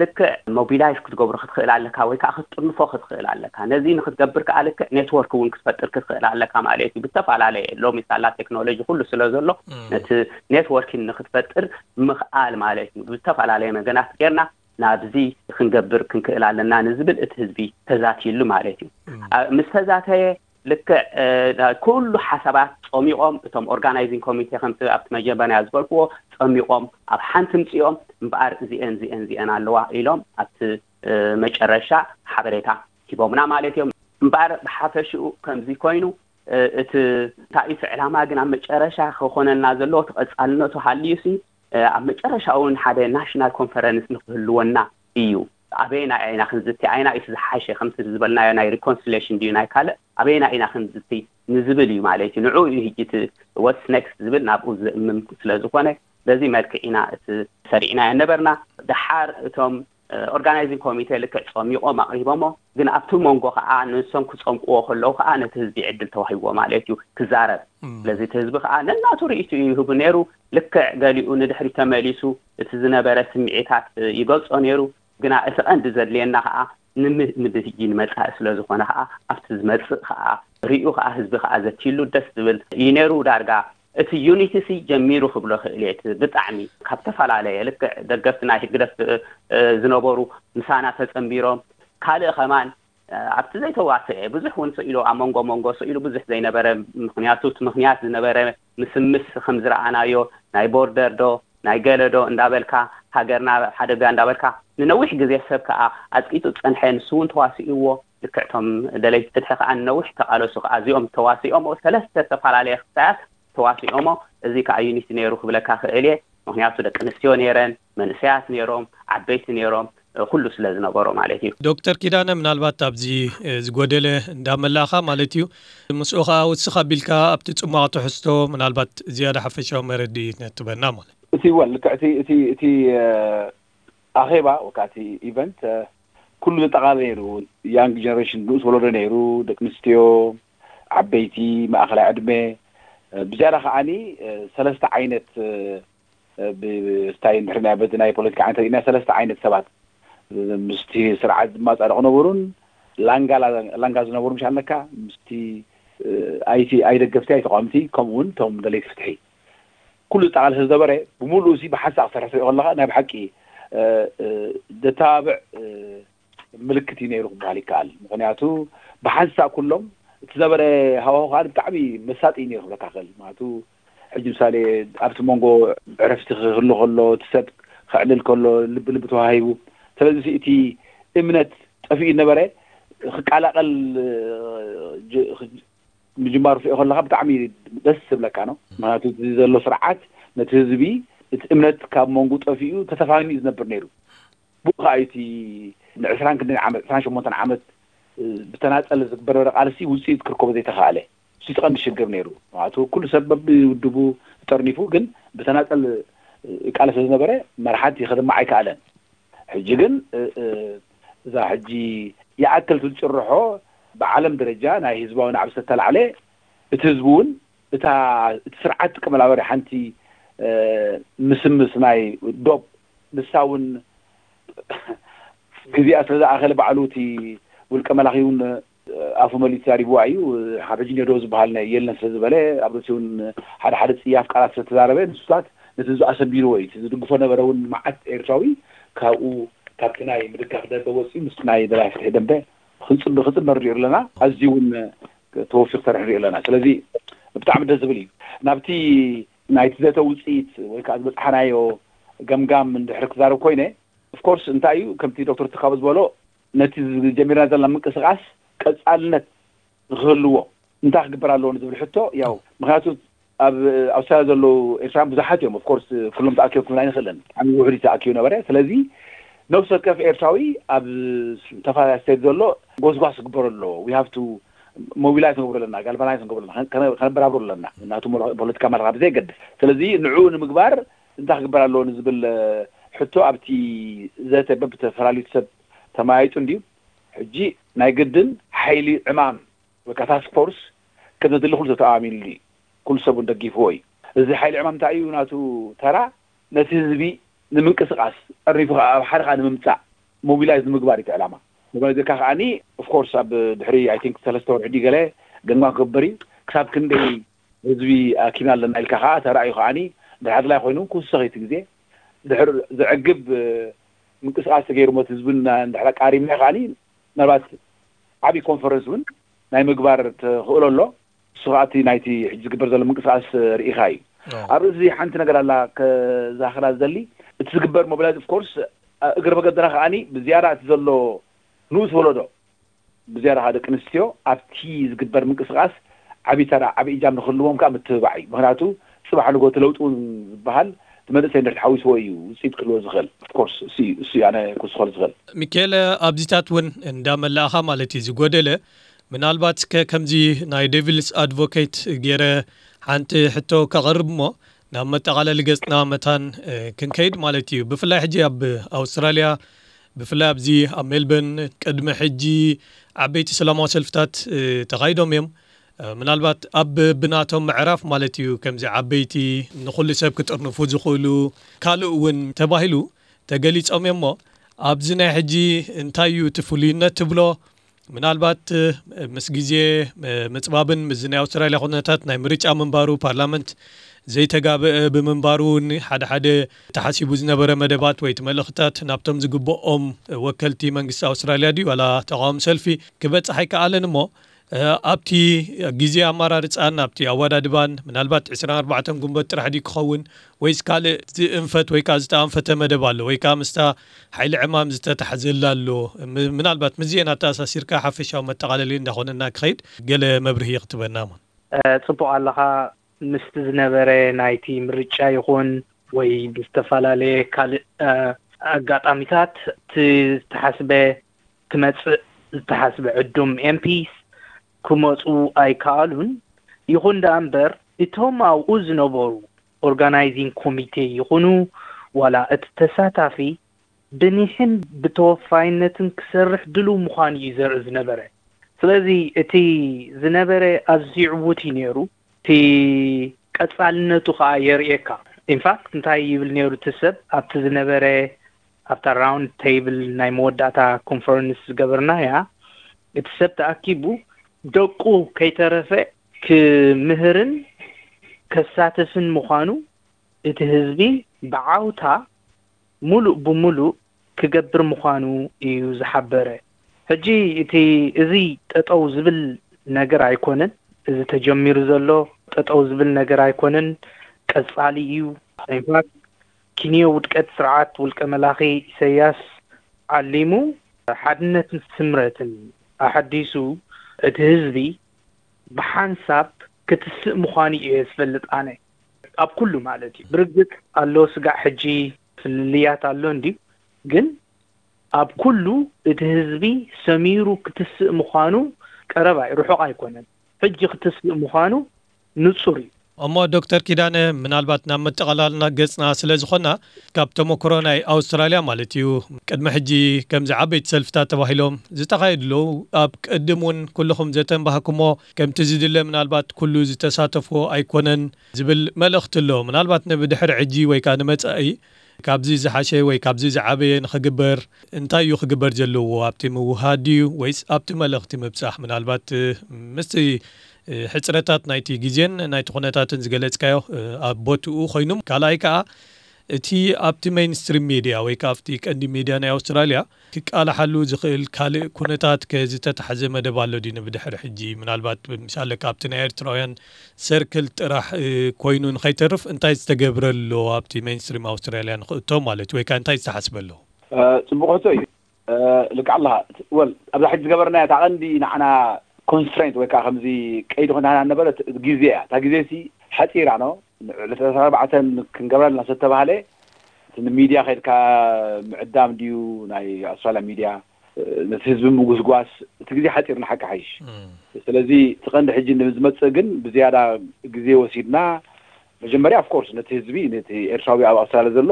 ልክዕ ሞቢላይዝ ክትገብሮ ክትኽእል ኣለካ ወይ ከዓ ክትጥርንፎ ክትኽእል ኣለካ። ነዚ ንክትገብር ከዓ ልክዕ ኔትወርክ እውን ክትፈጥር ክትኽእል ኣለካ ማለት እዩ። ብዝተፈላለየ ሎሚ ሳላ ቴክኖሎጂ ኩሉ ስለ ዘሎ ነቲ ኔትወርኪን ንክትፈጥር ምኽኣል ማለት እዩ። ብዝተፈላለየ መገናት ጌርና ናብዚ ክንገብር ክንክእል ኣለና ንዝብል እቲ ህዝቢ ተዛትይሉ ማለት እዩ። ምስ ተዛተየ ልክዕ ኩሉ ሓሳባት ፀሚቖም እቶም ኦርጋናይዚንግ ኮሚቴ ከምቲ ኣብቲ መጀመርያ ዝበልክዎ ፀሚቖም ኣብ ሓንቲ ምፅኦም እምበኣር እዚአን እዚአን እዚአን ኣለዋ ኢሎም ኣብቲ መጨረሻ ሓበሬታ ሂቦምና ማለት እዮም። እምበኣር ብሓፈሽኡ ከምዚ ኮይኑ እቲ እንታይ እቲ ዕላማ ግን ኣብ መጨረሻ ክኾነና ዘለዎ ተቐፃልነቱ ሃልዩሲ ኣብ መጨረሻ እውን ሓደ ናሽናል ኮንፈረንስ ንክህልወና እዩ። ኣበየና ኢና ክንዝቲ ኣይና እቲ ዝሓሸ ከምቲ ዝበልናዮ ናይ ሪኮንሲሌሽን ድዩ ናይ ካልእ ኣበየና ኢና ክንዝቲ ንዝብል እዩ ማለት እዩ። ንዑ እዩ ህጂ እቲ ወትስ ኔክስት ዝብል ናብኡ ዝእምም ስለ ዝኾነ በዚ መልክዕ ኢና እቲ ሰሪዕናዮ ነበርና። ደሓር እቶም ኦርጋናይዚንግ ኮሚቴ ልክዕ ጸሚቖም ኣቕሪቦሞ፣ ግን ኣብቲ መንጎ ከዓ ንሶም ክጸምቅዎ ከለዉ ከዓ ነቲ ህዝቢ ዕድል ተዋሂብዎ ማለት እዩ ክዛረብ። ስለዚ እቲ ህዝቢ ከዓ ነናቱ ርእይቱ እዩ ይህቡ ነይሩ። ልክዕ ገሊኡ ንድሕሪ ተመሊሱ እቲ ዝነበረ ስምዒታት ይገልጾ ነይሩ። ግና እቲ ቀንዲ ዘድልየና ከዓ ንምህጂ ንመፃኢ ስለ ዝኾነ ከዓ ኣብቲ ዝመፅእ ከዓ ሪኡ ከዓ ህዝቢ ከዓ ዘትይሉ ደስ ዝብል እዩ ነይሩ። ዳርጋ እቲ ዩኒቲ ሲ ጀሚሩ ክብሎ ክእል እየ። እቲ ብጣዕሚ ካብ ዝተፈላለየ ልክዕ ደገፍቲ ናይ ህግደፍ ዝነበሩ ምሳና ተፀንቢሮም ካልእ ከማን ኣብቲ ዘይተዋስአ ብዙሕ እውን ስኢሉ ኣብ መንጎ መንጎ ስኢሉ ብዙሕ ዘይነበረ ምክንያቱ እቲ ምክንያት ዝነበረ ምስምስ ከም ዝረኣናዮ ናይ ቦርደር ዶ ናይ ገለ ዶ እንዳበልካ ሃገርና ሓደጋ እንዳበልካ ንነዊሕ ግዜ ሰብ ከዓ ኣፅቂጡ ዝፀንሐ ንሱ እውን ተዋሲእዎ። ልክዕቶም ደለይቲ ፍትሒ ከዓ ንነዊሕ ተቃለሱ ከዓ እዚኦም ተዋሲኦሞ ሰለስተ ዝተፈላለየ ክሳያት ተዋሲኦሞ። እዚ ከዓ ዩኒቲ ነይሩ ክብለካ ክእል እየ። ምክንያቱ ደቂ ኣንስትዮ ነይረን መንእሰያት ነይሮም ዓበይቲ ነይሮም ኩሉ ስለ ዝነበሮ ማለት እዩ። ዶክተር ኪዳነ ምናልባት ኣብዚ ዝጎደለ እንዳመላእኻ ማለት እዩ ምስኡ ከዓ ውስኽ ኣቢልካ ኣብቲ ፅሟቕ ትሕዝቶ ምናልባት ዝያዳ ሓፈሻዊ መረድእ ነትበና ማለት እቲ ወል ልክዕ እቲ እቲ እቲ ኣኼባ ወይ ከዓ እቲ ኢቨንት ኩሉ ዘጠቓለ ነይሩ። ያንግ ጀነሬሽን ንኡስ ወለዶ ነይሩ፣ ደቂ ኣንስትዮ፣ ዓበይቲ፣ ማእኸላይ ዕድመ። ብዝያዳ ከዓኒ ሰለስተ ዓይነት ብስታይ እንድሕርና በዚ ናይ ፖለቲካ ዓይነት ርኢና ሰለስተ ዓይነት ሰባት ምስቲ ስርዓት ዝማፃረቑ ነበሩን ላንጋ ዝነበሩ ምሽ ኣለካ ምስቲ ኣይቲ ኣይደገፍቲ ኣይተቋምቲ ከምኡ እውን እቶም ደለይቲ ፍትሒ ኩሉ ዝጠቓለሰ ዝነበረ ብምሉእ እዚ ብሓንሳእ ክሰርሕ ትሪኦ ከለካ ናይ ብሓቂ ደተባብዕ ምልክት እዩ ነይሩ ክበሃል ይከኣል። ምክንያቱ ብሓንሳእ ኩሎም እቲ ዘበረ ሃዋሁ ከዓ ብጣዕሚ መሳጢ እዩ ነይሩ ክብለካ ክእል። ማለቱ ሕጂ ምሳሌ ኣብቲ መንጎ ዕረፍቲ ክህሉ ከሎ እቲ ሰብ ክዕልል ከሎ ልቢ ልቢ ተዋሂቡ። ስለዚ እቲ እምነት ጠፊኡ ነበረ ክቀላቀል ምጅማሩ ትሪኦ ከለካ ብጣዕሚ ደስ ዝብለካ ነው። ምክንያቱ እቲ ዘሎ ስርዓት ነቲ ህዝቢ እቲ እምነት ካብ መንጉ ጠፊኡ ተተፋኒኡ ዝነብር ነይሩ። ብኡ ከዓ እቲ ንዕስራን ክንደን ዓመት ዕስራን ሸሞንተን ዓመት ብተናፀል ዝግበር ነበረ ቃልሲ ውፅኢት ክርከቦ ዘይተካኣለ እሱ እቲ ቀንዲ ሽግር ነይሩ። ምክንያቱ ኩሉ ሰብ በብውድቡ ተጠርኒፉ ግን ብተናፀል ይቃለስ ዝነበረ መርሓት ከደምዕ ኣይከኣለን። ሕጂ ግን እዛ ሕጂ ይኣክል ትብል ጭርሖ ብዓለም ደረጃ ናይ ህዝባዊ ናዕቢ ዝተላዕለ እቲ ህዝቢ እውን እታ እቲ ስርዓት ጥቀመላ በሪ ሓንቲ ምስምስ ናይ ዶብ ንሳ እውን ግዜኣ ስለ ዝኣኸለ ባዕሉ እቲ ውልቀ መላኺ እውን ኣፉ መሊኡ ተዛሪብዋ እዩ። ካብ ሕጂ ኔዶ ዝበሃል የለን ስለ ዝበለ ኣብ ርእሲ እውን ሓደ ሓደ ፅያፍ ቃላት ስለ ተዛረበ ንሱታት ነቲ ህዝቢ ኣሰንቢርዎ እዩ። ዝድግፎ ነበረ እውን መዓት ኤርትራዊ ካብኡ ካብቲ ናይ ምድጋፍ ደንበ ወፂኡ ምስቲ ናይ ደላይ ፍትሒ ደንበ ክፅበ ክፅበ ንሪኦ ኣለና። ኣዝዩ እውን ተወፊሩ ክሰርሕ ንሪኦ ኣለና። ስለዚ ብጣዕሚ ደስ ዝብል እዩ። ናብቲ ናይቲ ዘተ ውፅኢት ወይ ከዓ ዝበፅሓናዮ ገምጋም እንድሕር ክዛረብ ኮይነ ኦፍኮርስ እንታይ እዩ ከምቲ ዶክተር ትካቡ ዝበሎ ነቲ ጀሚርና ዘለና ምንቅስቃስ ቀፃልነት ንክህልዎ እንታይ ክግበር ኣለዎ ንዝብል ሕቶ ያው ምክንያቱ ኣብ ኣውስትራልያ ዘለዉ ኤርትራውያን ብዙሓት እዮም ኦፍኮርስ ኩሎም ተኣኪቦም ክብልና ኣይንኽእልን ብጣዕሚ ውሑድ እዩ ተኣኪቡ ነበረ ስለዚ ነብሲ ወከፍ ኤርትራዊ ኣብ ዝተፈላለዩ ስቴት ዘሎ ጎስጓስ ክግበሩ ኣለዎ we have to mobilize ንገብሮ ኣለና galvanize ንገብሮ ኣለና ከነበራብሮ ኣለና እናቱ ፖለቲካ ማለት ካብ ዘይገድስ ስለዚ ንዑ ንምግባር እንታይ ክግበር ኣለዎ ንዝብል ሕቶ ኣብቲ ዘተ በብተፈላለዩ ሰብ ተመያይጡ እንድዩ ሕጂ ናይ ግድን ሓይሊ ዕማም ወይ ከዓ ታስክ ፎርስ ከም ዘድሊ ኩሉ ሰብ ተኣማሚንሉ እዩ። ኩሉ ሰብ እውን ደጊፍዎ እዩ። እዚ ሓይሊ ዕማም እንታይ እዩ ናቱ ተራ? ነቲ ህዝቢ ንምንቅስቃስ ጠርኒፉ ከዓ ኣብ ሓደ ከዓ ንምምፃእ ሞቢላይዝ ንምግባር እዩ እቲ ዕላማ። ሞቢላይዝ ኢልካ ከዓኒ ኦፍኮርስ ኣብ ድሕሪ ኣይ ቲንክ ሰለስተ ወርሒ ድዩ ገለ ገምጋም ክግበር እዩ። ክሳብ ክንደይ ህዝቢ ኣኪብና ኣለና ኢልካ ከዓ ተራእዩ ከዓኒ ድሕሪ ኣድላይ ኮይኑ ክውሰኽ እዩ እቲ ግዜ። ድሕር ዘዕግብ ምንቅስቃስ ተገይሩ ሞት ህዝብን እንድሕር ኣቃሪምና ከዓኒ ምናልባት ዓብዪ ኮንፈረንስ እውን ናይ ምግባር ተኽእሎ ኣሎ። እሱ ከዓ እቲ ናይቲ ሕጂ ዝግበር ዘሎ ምንቅስቃስ ርኢኻ እዩ። ኣብ ርእሲ ሓንቲ ነገር ኣላ ከዛኽራ ዝደሊ እቲ ዝግበር ሞቢላይዝ ኦፍኮርስ እግሪ መገድና ከዓኒ ብዝያዳ እቲ ዘሎ ንኡስ ወለዶ ብዝያዳ ከዓ ደቂ ኣንስትዮ ኣብቲ ዝግበር ምንቅስቃስ ዓብዪ ተራ ዓብዪ እጃም ንክህልዎም ከዓ ምትብባዕ እዩ። ምክንያቱ ፅባሕ ንጎ እቲ ለውጢ እውን ዝበሃል እቲ መንእሰይ እንድሕር ተሓዊስዎ እዩ ውፅኢት ክህልዎ ዝኽእል። ኦፍኮርስ እሱ እዩ እሱ እዩ ኣነ ክውስኸሉ ዝኽእል። ሚካኤለ ኣብዚታት እውን እንዳመላእኻ ማለት እዩ ዝጎደለ ምናልባት እስከ ከምዚ ናይ ዴቪልስ ኣድቮኬት ገይረ ሓንቲ ሕቶ ከቕርብ እሞ ናብ መጠቓለሊ ገጽና መታን ክንከይድ ማለት እዩ። ብፍላይ ሕጂ ኣብ ኣውስትራልያ ብፍላይ ኣብዚ ኣብ ሜልበርን ቅድሚ ሕጂ ዓበይቲ ሰላማዊ ሰልፍታት ተኻይዶም እዮም። ምናልባት ኣብ ብናቶም ምዕራፍ ማለት እዩ ከምዚ ዓበይቲ ንኹሉ ሰብ ክጥርንፉ ዝኽእሉ ካልእ እውን ተባሂሉ ተገሊጾም እዮም እሞ ኣብዚ ናይ ሕጂ እንታይ እዩ እቲ ፍሉይነት ትብሎ? ምናልባት ምስ ግዜ ምፅባብን ምስዚ ናይ ኣውስትራልያ ኩነታት ናይ ምርጫ ምንባሩ ፓርላመንት ዘይተጋበአ ብምንባሩ እውን ሓደ ሓደ ተሓሲቡ ዝነበረ መደባት ወይ እቲ መልእኽትታት ናብቶም ዝግብኦም ወከልቲ መንግስቲ ኣውስትራልያ ድዩ ዋላ ተቃዋሚ ሰልፊ ክበፅሕ ኣይከኣለን እሞ ኣብቲ ግዜ ኣመራርፃን ኣብቲ ኣወዳድባን ምናልባት ዕስራን ኣርባዕተን ጉንበት ጥራሕ ድዩ ክኸውን ወይስ ካልእ ዝእንፈት ወይ ከዓ ዝተኣንፈተ መደብ ኣሎ ወይ ከዓ ምስታ ሓይሊ ዕማም ዝተታሕዘላ ኣሎ ምናልባት ምስዚአን ኣተኣሳሲርካ ሓፈሻዊ መጠቓለሊ እንዳኾነና ክኸይድ ገለ መብርሂ ክትበና ሞ ፅቡቕ ኣለኻ ምስቲ ዝነበረ ናይቲ ምርጫ ይኹን ወይ ብዝተፈላለየ ካልእ ኣጋጣሚታት እቲ ዝተሓስበ ክመፅእ ዝተሓስበ ዕዱም ኤምፒስ ክመፁ ኣይከኣሉን። ይኹን ደኣ እምበር እቶም ኣብኡ ዝነበሩ ኦርጋናይዚንግ ኮሚቴ ይኹኑ ዋላ እቲ ተሳታፊ ብኒሕን ብተወፋይነትን ክሰርሕ ድሉው ምዃኑ እዩ ዘርኢ ዝነበረ። ስለዚ እቲ ዝነበረ ኣዝዩ ዕዉት እዩ ነይሩ። እቲ ቀፃልነቱ ከዓ የርእየካ። ኢንፋክት እንታይ ይብል ነይሩ እቲ ሰብ ኣብቲ ዝነበረ ኣብታ ራውንድ ቴብል ናይ መወዳእታ ኮንፈረንስ ዝገበርናያ፣ እቲ ሰብ ተኣኪቡ ደቁ ከይተረፈ ክምህርን ከሳትፍን ምዃኑ እቲ ህዝቢ ብዓውታ ሙሉእ ብሙሉእ ክገብር ምዃኑ እዩ ዝሓበረ። ሕጂ እቲ እዚ ጠጠው ዝብል ነገር ኣይኮነን። እዚ ተጀሚሩ ዘሎ ጠጠው ዝብል ነገር ኣይኮነን፣ ቀጻሊ እዩ። ኢንፋክት ኪንዮ ውድቀት ስርዓት ውልቀ መላኺ ኢሰያስ ዓሊሙ ሓድነትን ስምረትን ኣሐዲሱ እቲ ህዝቢ ብሓንሳብ ክትስእ ምዃኑ እየ ዝፈልጥ ኣነ። ኣብ ኩሉ ማለት እዩ። ብርግጽ ኣሎ ስጋዕ ሕጂ ፍልልያት ኣሎ እንድዩ፣ ግን ኣብ ኩሉ እቲ ህዝቢ ሰሚሩ ክትስእ ምዃኑ ቀረባ እዩ፣ ርሑቕ ኣይኮነን። ሕጂ ክትስእ ምዃኑ ንጹር እዩ። እሞ ዶክተር ኪዳነ፣ ምናልባት ናብ መጠቓላልና ገጽና ስለ ዝኾና፣ ካብ ተመክሮ ናይ ኣውስትራልያ ማለት እዩ፣ ቅድሚ ሕጂ ከምዚ ዓበይቲ ሰልፍታት ተባሂሎም ዝተኻየዱ ኣለዉ። ኣብ ቅድም እውን ኩልኹም ዘተንባህኩሞ ከምቲ ዝድለ ምናልባት ኩሉ ዝተሳተፍዎ ኣይኮነን ዝብል መልእኽቲ ኣሎ። ምናልባት ንብድሕሪ ሕጂ ወይ ከኣ ንመጻኢ ካብዚ ዝሓሸ ወይ ካብዚ ዝዓበየ ንኽግበር እንታይ እዩ ክግበር ዘለዎ? ኣብቲ ምውሃድ ድዩ ወይስ ኣብቲ መልእኽቲ ምብጻሕ? ምናልባት ምስቲ ሕጽረታት ናይቲ ግዜን ናይቲ ኩነታትን ዝገለጽካዮ ኣብ ቦትኡ ኮይኑ፣ ካልኣይ ከኣ እቲ ኣብቲ ሜይንስትሪም ሚድያ ወይ ከኣ ኣብቲ ቀንዲ ሚድያ ናይ ኣውስትራልያ ክቃላሓሉ ዝኽእል ካልእ ኩነታት ከ ዝተታሕዘ መደብ ኣሎ ድዩ ንብድሕሪ ሕጂ? ምናልባት ምሳለ ካብቲ ናይ ኤርትራውያን ሰርክል ጥራሕ ኮይኑ ንኸይተርፍ እንታይ ዝተገብረ ኣሎ ኣብቲ ሜይንስትሪም ኣውስትራልያ ንኽእቶ ማለት እዩ? ወይ ከኣ እንታይ ዝተሓስበ ኣሎ? ጽቡቕ ሕቶ እዩ። ልክዕ ኣለኻ። ወል ኣብዛ ሕጂ ዝገበርናያ እታ ቀንዲ ንዓና ኮንስትሬንት ወይ ከዓ ከምዚ ቀይዲ ኮይና ነበረት ግዜ እያ። እታ ግዜ ሲ ሓፂራ ነው። ዕለት ዕስራን ኣርባዕተን ክንገብራ ኣለና ዝተባሃለ እቲ ንሚድያ ከድካ ምዕዳም ድዩ ናይ ኣውስትራልያ ሚድያ ነቲ ህዝቢ ምጉስጓስ እቲ ግዜ ሓፂር ንሓቂ ሓይሽ። ስለዚ እቲ ቀንዲ ሕጂ ዝመፅእ ግን ብዝያዳ ግዜ ወሲድና መጀመርያ ኦፍኮርስ ነቲ ህዝቢ ነቲ ኤርትራዊ ኣብ ኣውስትራልያ ዘሎ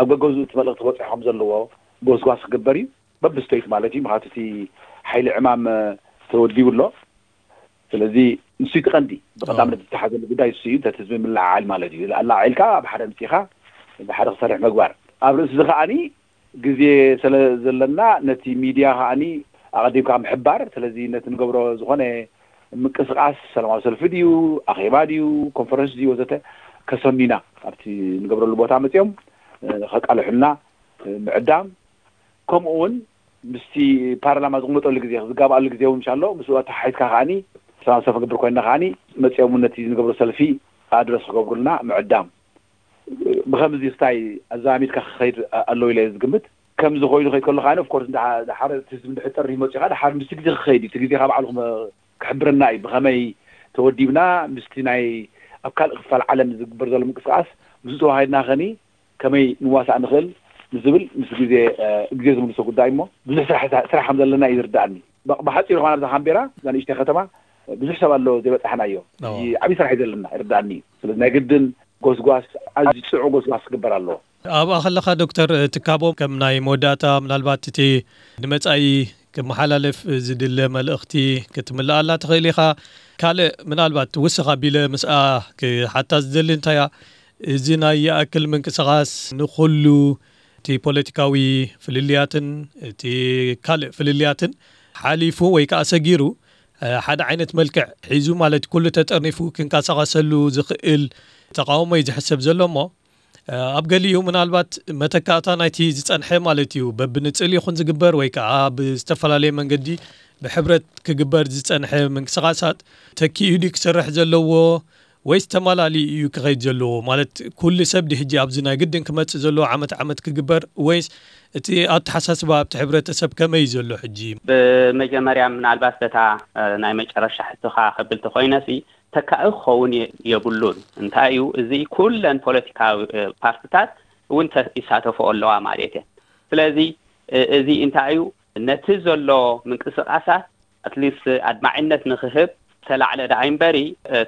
ኣብ ገገዝኡ እቲ መልእኽቲ ክበፅሖም ዘለዎ ጎስጓስ ክግበር እዩ። በብስቴት ማለት እዩ። ምክንያቱ እቲ ሓይሊ ዕማም ተወዲቡ ኣሎ። ስለዚ ንሱ እቲ ቀንዲ ብቀዳምነት ዝተሓዘሉ ጉዳይ እሱ እዩ። ነቲ ህዝቢ ምልዓዓል ማለት እዩ። ኣላዓዒልካ ኣብ ሓደ ምፅኻ ብሓደ ክሰርሕ ምግባር ኣብ ርእሲ እዚ ከዓኒ ግዜ ስለ ዘለና ነቲ ሚድያ ከዓኒ ኣቐዲምካ ምሕባር። ስለዚ ነቲ ንገብሮ ዝኾነ ምንቅስቃስ ሰላማዊ ሰልፊ ድዩ ኣኼባ ድዩ ኮንፈረንስ ድዩ ወዘተ ከሰኑና ኣብቲ ንገብረሉ ቦታ መፅኦም ከቃልሑልና ምዕዳም ከምኡ እውን ምስቲ ፓርላማ ዝቕመጠሉ ግዜ ዝጋብኣሉ ግዜ እውን ምሻሎ ምስኡ ኣተሓሒዝካ ከዓኒ ሰላም ሰልፊ ክገብር ኮይና ከዓኒ መፅኦም እውን ነቲ ዝንገብሮ ሰልፊ ኣድረስ ክገብሩልና ምዕዳም ብከምዚ ስታይ ኣዛሚድካ ክኸይድ ኣለዎ ኢለ ዝግምት። ከምዚ ኮይኑ ከይድ ከሎ ከዓኒ ኦፍኮርስ ድሓር እቲ ህዝቢ እንድሕር ጠሪ መፅኡ ከዓ ድሓር ምስቲ ግዜ ክኸይድ እዩ። እቲ ግዜ ካብ ባዕልኩም ክሕብረና እዩ ብከመይ ተወዲብና ምስቲ ናይ ኣብ ካልእ ክፋል ዓለም ዝግበር ዘሎ ምንቅስቃስ ምስኡ ተዋሃሂድና ከኒ ከመይ ንዋሳእ ንኽእል ንዝብል ምስ ግዜ ግዜ ዝምልሶ ጉዳይ እሞ ብዙሕ ስራሕ ስራሕ ከም ዘለና እዩ ዝርዳእኒ። ብሓፂሩ ከማን ኣብዛ ካምቤራ እዛ ንእሽተይ ከተማ ብዙሕ ሰብ ኣሎ ዘይበፃሕናዮ። ዓብዪ ስራሕ እዩ ዘለና ይርዳእኒ እዩ። ስለዚ ናይ ግድን ጎስጓስ ኣዝዩ ፅዑ ጎስጓስ ክግበር ኣለዎ። ኣብኣ ከለኻ ዶክተር ትካቦ ከም ናይ መወዳእታ ምናልባት እቲ ንመፃኢ ክመሓላለፍ ዝድለ መልእኽቲ ክትምልኣላ ትኽእል ኢኻ። ካልእ ምናልባት ውስኽ ኣቢለ ምስኣ ክሓታ ዝደሊ እንታያ እዚ ናይ ይኣክል ምንቅስቓስ ንኹሉ እቲ ፖለቲካዊ ፍልልያትን እቲ ካልእ ፍልልያትን ሓሊፉ ወይ ከዓ ሰጊሩ ሓደ ዓይነት መልክዕ ሒዙ ማለት ኩሉ ተጠርኒፉ ክንቀሳቐሰሉ ዝኽእል ተቃውሞ እዩ ዝሕሰብ ዘሎ እሞ ኣብ ገሊኡ ምናልባት መተካእታ ናይቲ ዝጸንሐ ማለት እዩ በብንጽል ይኹን ዝግበር ወይ ከዓ ብዝተፈላለየ መንገዲ ብሕብረት ክግበር ዝጸንሐ ምንቅስቃሳት ተኪኡ ድዩ ክሰርሕ ዘለዎ ወይስ ተማላሊ እዩ ክኸይድ ዘለዎ ማለት ኩሉ ሰብ ድሕጂ ኣብዚ ናይ ግድን ክመጽእ ዘለዎ ዓመት ዓመት ክግበር ወይስ እቲ ኣተሓሳስባ ኣብቲ ሕብረተሰብ ከመይ እዩ ዘሎ ሕጂ? ብመጀመርያ ምናልባት በታ ናይ መጨረሻ ሕቶኻ ከብል ተኮይነሲ ተካኢ ክኸውን የብሉን። እንታይ እዩ እዚ ኩለን ፖለቲካዊ ፓርትታት እውን ይሳተፎ ኣለዋ ማለት እየ። ስለዚ እዚ እንታይ እዩ ነቲ ዘሎ ምንቅስቃሳት ኣትሊስት ኣድማዒነት ንክህብ ተላዕለ ደኣ እምበሪ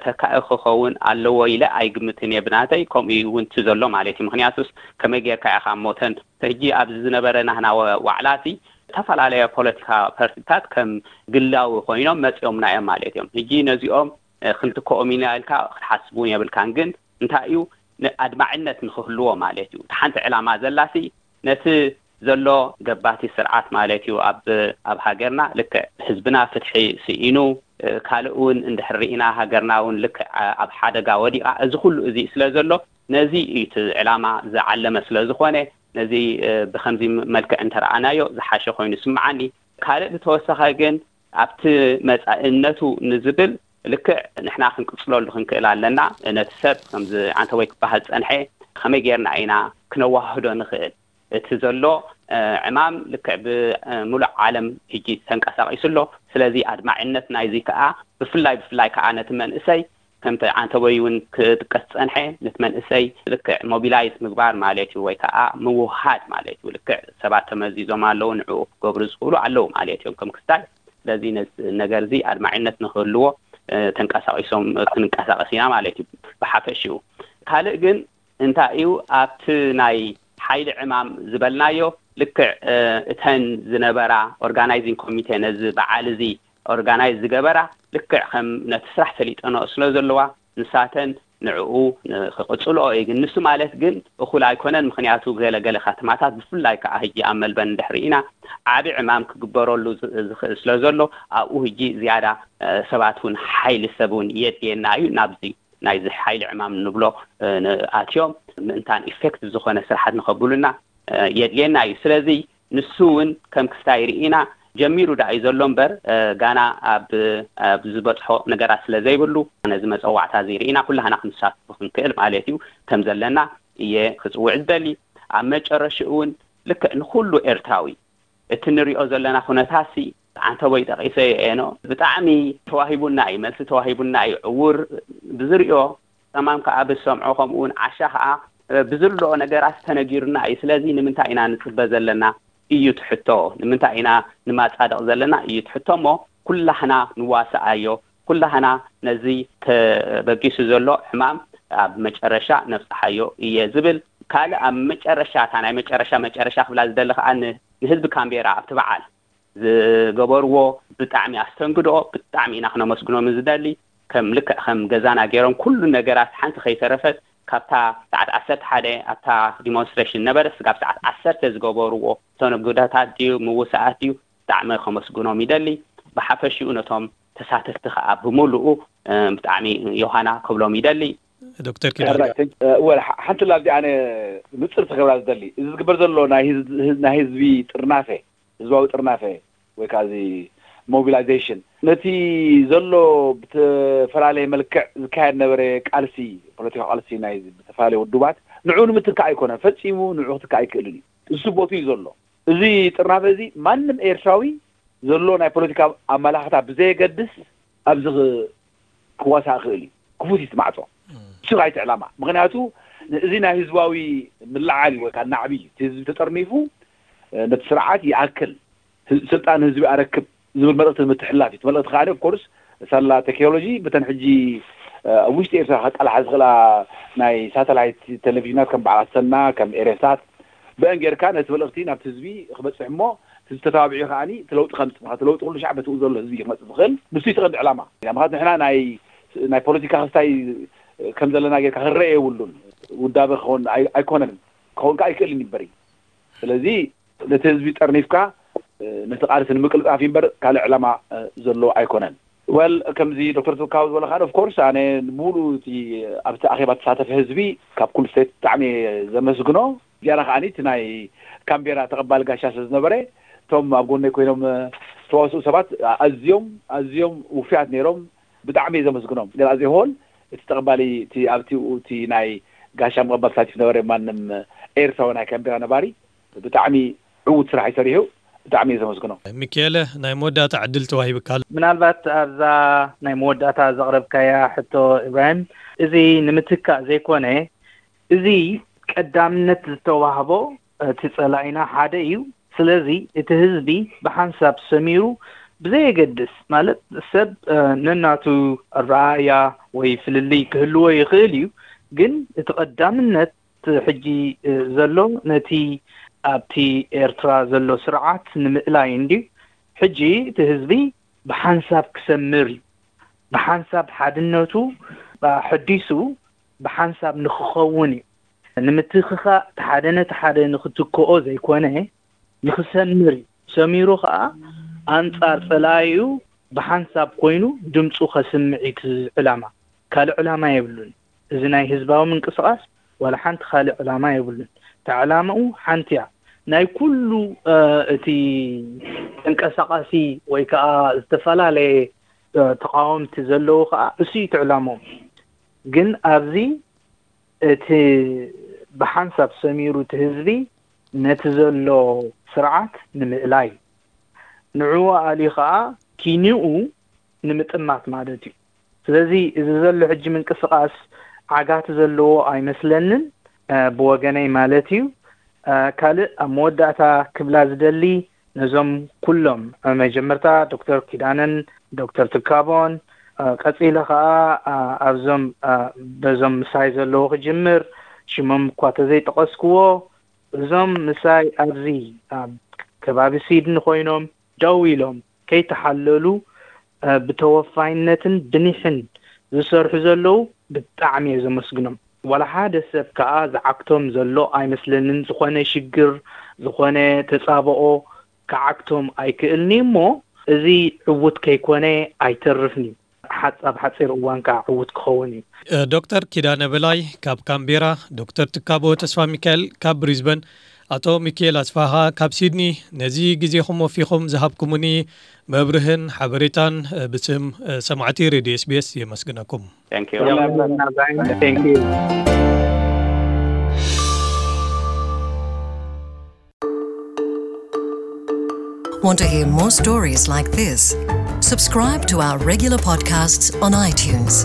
ተካኢ ክኸውን ኣለዎ ኢለ ኣይግምትን እየ ብናተይ። ከምኡ እውን እቲ ዘሎ ማለት እዩ። ምክንያቱስ ከመይ ጌርካ ኢኻ እሞ ተን ሕጂ ኣብዚ ዝነበረ ናህና ዋዕላሲ ዝተፈላለያ ፖለቲካ ፓርቲታት ከም ግላዊ ኮይኖም መፂኦምና እዮም ማለት እዮም። ሕጂ ነዚኦም ክንትክኦም ኢና ኢልካ ክትሓስብ እውን የብልካን። ግን እንታይ እዩ ኣድማዕነት ንክህልዎ ማለት እዩ። ሓንቲ ዕላማ ዘላሲ ነቲ ዘሎ ገባቲ ስርዓት ማለት እዩ ኣብ ኣብ ሃገርና ልክዕ ህዝብና ፍትሒ ስኢኑ ካልእ እውን እንድሕር ርኢና ሃገርና እውን ልክዕ ኣብ ሓደጋ ወዲቓ፣ እዚ ኩሉ እዚ ስለ ዘሎ ነዚ እዩ እቲ ዕላማ ዝዓለመ ስለ ዝኾነ ነዚ ብከምዚ መልክዕ እንተረኣናዮ ዝሓሸ ኮይኑ ስምዓኒ። ካልእ ብተወሳኺ ግን ኣብቲ መጻእነቱ ንዝብል ልክዕ ንሕና ክንቅጽለሉ ክንክእል ኣለና። ነቲ ሰብ ከምዚ ዓንተቦይ ክበሃል ጸንሐ ከመይ ጌርና ኢና ክነዋህዶ ንኽእል? እቲ ዘሎ ዕማም ልክዕ ብምሉእ ዓለም ሕጂ ተንቀሳቒሱ ኣሎ። ስለዚ ኣድማዕነት ናይዚ ከኣ ብፍላይ ብፍላይ ከኣ ነቲ መንእሰይ ከምቲ ዓንተቦይ እውን ክጥቀስ ጸንሐ ነቲ መንእሰይ ልክዕ ሞቢላይዝ ምግባር ማለት እዩ፣ ወይ ከኣ ምውሃድ ማለት እዩ። ልክዕ ሰባት ተመዚዞም ኣለዉ፣ ንዕኡ ክገብሩ ዝኽእሉ ኣለዉ ማለት እዮም ከም ክስታይ። ስለዚ ነዚ ነገር እዚ ኣድማዒነት ንክህልዎ ተንቀሳቒሶም ክንንቀሳቐስ ኢና ማለት እዩ ብሓፈሽኡ። ካልእ ግን እንታይ እዩ ኣብቲ ናይ ሓይሊ ዕማም ዝበልናዮ ልክዕ እተን ዝነበራ ኦርጋናይዚንግ ኮሚቴ ነዚ በዓል እዚ ኦርጋናይዝ ዝገበራ ልክዕ ከም ነቲ ስራሕ ሰሊጠንኦ ስለ ዘለዋ ንሳተን ንዕኡ ክቕጽልኦ እዩ። ግን ንሱ ማለት ግን እኹል ኣይኮነን። ምኽንያቱ ገለ ገለ ከተማታት ብፍላይ ከዓ ሕጂ ኣብ መልበርን እንድሕር ኢና ዓቢ ዕማም ክግበረሉ ዝኽእል ስለ ዘሎ ኣብኡ ሕጂ ዝያዳ ሰባት እውን ሓይሊ ሰብ እውን የድልየና እዩ። ናብዚ ናይዚ ሓይሊ ዕማም ንብሎ ኣትዮም ምእንታን ኢፌክቲቭ ዝኾነ ስራሓት ንኸብሉና የድልየና እዩ። ስለዚ ንሱ እውን ከም ክስታይ ርኢና ጀሚሩ ደኣ እዩ ዘሎ እምበር ጋና ኣብ ኣብ ዝበፅሖ ነገራት ስለ ዘይብሉ ነዚ መፀዋዕታ እዚ ርኢና ኩላህና ክንሳትፎ ክንክእል ማለት እዩ ከም ዘለና እየ ክፅውዕ ዝደሊ። ኣብ መጨረሽኡ እውን ልክዕ ንኩሉ ኤርትራዊ እቲ ንሪኦ ዘለና ኩነታሲ ዓንተቦይ ጠቒሰዮ እየ ኖ ብጣዕሚ ተዋሂቡና እዩ፣ መልሲ ተዋሂቡና እዩ። ዕውር ብዝሪኦ ጸማም ከኣ ብዝሰምዖ ከምኡ እውን ዓሻ ከኣ ብዝርድኦ ነገራት ተነጊሩና እዩ። ስለዚ ንምንታይ ኢና ንጽበ ዘለና እዩ እቲ ሕቶ። ንምንታይ ኢና ንማጻደቕ ዘለና እዩ እቲ ሕቶ እሞ ኩላህና ንዋስኣዮ። ኩላህና ነዚ ተበጊሱ ዘሎ ሕማም ኣብ መጨረሻ ነብጽሓዮ እየ ዝብል። ካልእ ኣብ መጨረሻ እታ ናይ መጨረሻ መጨረሻ ክብላ ዝደሊ ከኣ ንህዝቢ ካምቤራ ኣብቲ በዓል ዝገበርዎ ብጣዕሚ ኣስተንግዶ ብጣዕሚ ኢና ክነመስግኖም ዝደሊ። ከም ልክዕ ከም ገዛና ገይሮም ኩሉ ነገራት ሓንቲ ከይተረፈት ካብታ ሰዓት ዓሰርተ ሓደ ኣብታ ዲሞንስትሬሽን ነበረ ስጋብ ሰዓት ዓሰርተ ዝገበርዎ ተነግዶታት ድዩ ምውሳኣት ድዩ ብጣዕሚ ከመስግኖም ይደሊ። ብሓፈሽኡ ነቶም ተሳተፍቲ ከዓ ብምሉኡ ብጣዕሚ ዮሃና ክብሎም ይደሊ። ዶክተር ኪዳነ ወላ ሓንቲ ላዚ ኣነ ንፅር ተገብራ ዝደሊ እዚ ዝግበር ዘሎ ናይ ህዝቢ ጥርናፈ ህዝባዊ ጥርናፈ ወይ ከዓ እዚ ሞቢላይዜሽን ነቲ ዘሎ ብተፈላለየ መልክዕ ዝካየድ ነበረ ቃልሲ ፖለቲካዊ ቃልሲ ናይ ብተፈላለየ ውድባት ንዑ ንምትካእ ኣይኮነን ፈፂሙ ንዑ ክትካእ ኣይክእልን እዩ። እሱ ቦቱ እዩ ዘሎ። እዚ ጥርናፈ እዚ ማንም ኤርትራዊ ዘሎ ናይ ፖለቲካ ኣመላኽታ ብዘየገድስ ኣብዚ ክዋሳእ ክእል እዩ። ክፉት እዩ እቲ ማዕፆ። እሱ ኣይትዕላማ ምክንያቱ እዚ ናይ ህዝባዊ ምልዓል እዩ ወይ ከዓ ናዕቢ እዩ። እቲ ህዝቢ ተጠርኒፉ ነቲ ስርዓት ይኣክል ስልጣን ህዝቢ ኣረክብ ዝብል መልእክቲ ንምትሕላፍ እዩ። እቲ መልእክቲ ከዓ ኦፍኮርስ ሳላ ቴክኖሎጂ ብተን ሕጂ ኣብ ውሽጢ ኤርትራ ከቃልሓ ዝኽእላ ናይ ሳተላይት ቴሌቪዥናት ከም በዓል ኣሰና ከም ኤሬሳት ብአን ጌርካ ነቲ መልእክቲ ናብቲ ህዝቢ ክበፅሕ እሞ እቲ ዝተባብዑ ከዓኒ እቲ ለውጢ ከምፅእ ምክንያቱ ለውጢ ኩሉ ሻዕ በትኡ ዘሎ ህዝቢ እዩ ክመፅእ ዝኽእል ንሱ እዩ ተቐንዲ ዕላማ ምክንያቱ ንሕና ናይ ናይ ፖለቲካ ክስታይ ከም ዘለና ጌርካ ክረአ የብሉን ውዳበ ክኸውን ኣይኮነን ክኸውን ከዓ ኣይክእልን ይበሪ ስለዚ ነቲ ህዝቢ ጠርኒፍካ ነቲ ቃልሲ ንምቅልጣፍ እዩ እምበር ካልእ ዕላማ ዘለዎ ኣይኮነን። ወል ከምዚ ዶክተር ትካው ዝበለ ከዓ ኦፍኮርስ ኣነ ሙሉ እቲ ኣብቲ ኣኼባ ተሳተፈ ህዝቢ ካብ ኩሉ ስቴት ብጣዕሚ እየ ዘመስግኖ። ዝያዳ ከዓ እቲ ናይ ካምቤራ ተቐባሊ ጋሻ ስለ ዝነበረ እቶም ኣብ ጎነይ ኮይኖም ዝተዋስኡ ሰባት ኣዝዮም ኣዝዮም ውፍያት ነይሮም። ብጣዕሚ እየ ዘመስግኖም። ግን ኣዜ ሆል እቲ ተቐባሊ እቲ ኣብቲ እቲ ናይ ጋሻ ምቕባል ተሳቲፉ ነበረ ማንም ኤርትራዊ ናይ ካምቤራ ነባሪ ብጣዕሚ ዕዉት ስራሕ እዩ ሰሪሑ። ብጣዕሚ እየ ዘመስግኖ። ሚኪኤለ ናይ መወዳእታ ዕድል ተዋሂብካ ኣሎ። ምናልባት ኣብዛ ናይ መወዳእታ ዘቕረብካያ ሕቶ ኢብራሂም፣ እዚ ንምትካእ ዘይኮነ፣ እዚ ቀዳምነት ዝተዋህቦ እቲ ጸላኢና ሓደ እዩ። ስለዚ እቲ ህዝቢ ብሓንሳብ ሰሚሩ ብዘየገድስ፣ ማለት ሰብ ነናቱ ኣረኣእያ ወይ ፍልልይ ክህልዎ ይኽእል እዩ፣ ግን እቲ ቀዳምነት ሕጂ ዘሎ ነቲ ኣብቲ ኤርትራ ዘሎ ስርዓት ንምእላይ እንድዩ። ሕጂ እቲ ህዝቢ ብሓንሳብ ክሰምር እዩ። ብሓንሳብ ሓድነቱ ኣሐዲሱ ብሓንሳብ ንክኸውን እዩ። ንምትኽኻእ ሓደ ነቲ ሓደ ንክትክኦ ዘይኮነ፣ ንክሰምር እዩ። ሰሚሩ ከዓ ኣንጻር ጸላኢኡ ብሓንሳብ ኮይኑ ድምፁ ከስምዕ እዩ እቲ ዕላማ። ካልእ ዕላማ የብሉን። እዚ ናይ ህዝባዊ ምንቅስቃስ ዋላ ሓንቲ ካልእ ዕላማ የብሉን። እታ ዕላምኡ ሓንቲ እያ። ናይ ኩሉ እቲ ተንቀሳቃሲ ወይ ከዓ ዝተፈላለየ ተቃወምቲ ዘለዉ ከዓ እሱ እዩ እቲ ዕላምኦም። ግን ኣብዚ እቲ ብሓንሳብ ሰሚሩ እቲ ህዝቢ ነቲ ዘሎ ስርዓት ንምእላይ፣ ንዕኡ ኣልዩ ከዓ ኪንኡ ንምጥማት ማለት እዩ። ስለዚ እዚ ዘሎ ሕጂ ምንቅስቃስ ዓጋቲ ዘለዎ ኣይመስለንን፣ ብወገነይ ማለት እዩ። ካልእ ኣብ መወዳእታ ክብላ ዝደሊ፣ ነዞም ኩሎም መጀመርታ ዶክተር ኪዳነን ዶክተር ትካቦን፣ ቀፂለ ከዓ ኣብዞም በዞም ምሳይ ዘለዉ ክጅምር፣ ሽሞም እኳ ተዘይጠቐስክዎ፣ እዞም ምሳይ ኣብዚ ኣብ ከባቢ ሲድኒ ኮይኖም ደው ኢሎም ከይተሓለሉ ብተወፋይነትን ብኒሕን ዝሰርሑ ዘለዉ ብጣዕሚ እየ ዘመስግኖም። ዋላ ሓደ ሰብ ከዓ ዝዓግቶም ዘሎ ኣይመስለንን። ዝኾነ ሽግር፣ ዝኾነ ተፃብኦ ክዓግቶም ኣይክእልን'ዩ እሞ፣ እዚ ዕዉት ከይኮነ ኣይተርፍን'ዩ። ሓጻብ ሓጺር እዋን ከዓ ዕዉት ክኸውን እዩ። ዶክተር ኪዳነ በላይ ካብ ካምቤራ፣ ዶክተር ትካቦ ተስፋ ሚካኤል ካብ ብሪዝበን፣ ኣቶ ሚካኤል ኣስፋሃ ካብ ሲድኒ፣ ነዚ ግዜኹም ወፊኹም ዝሃብኩምኒ መብርህን ሓበሬታን ብስም ሰማዕቲ ሬድዮ ኤስቢኤስ የመስግነኩም። Thank you. Thank you. Want to hear more stories like this? Subscribe to our regular podcasts on iTunes.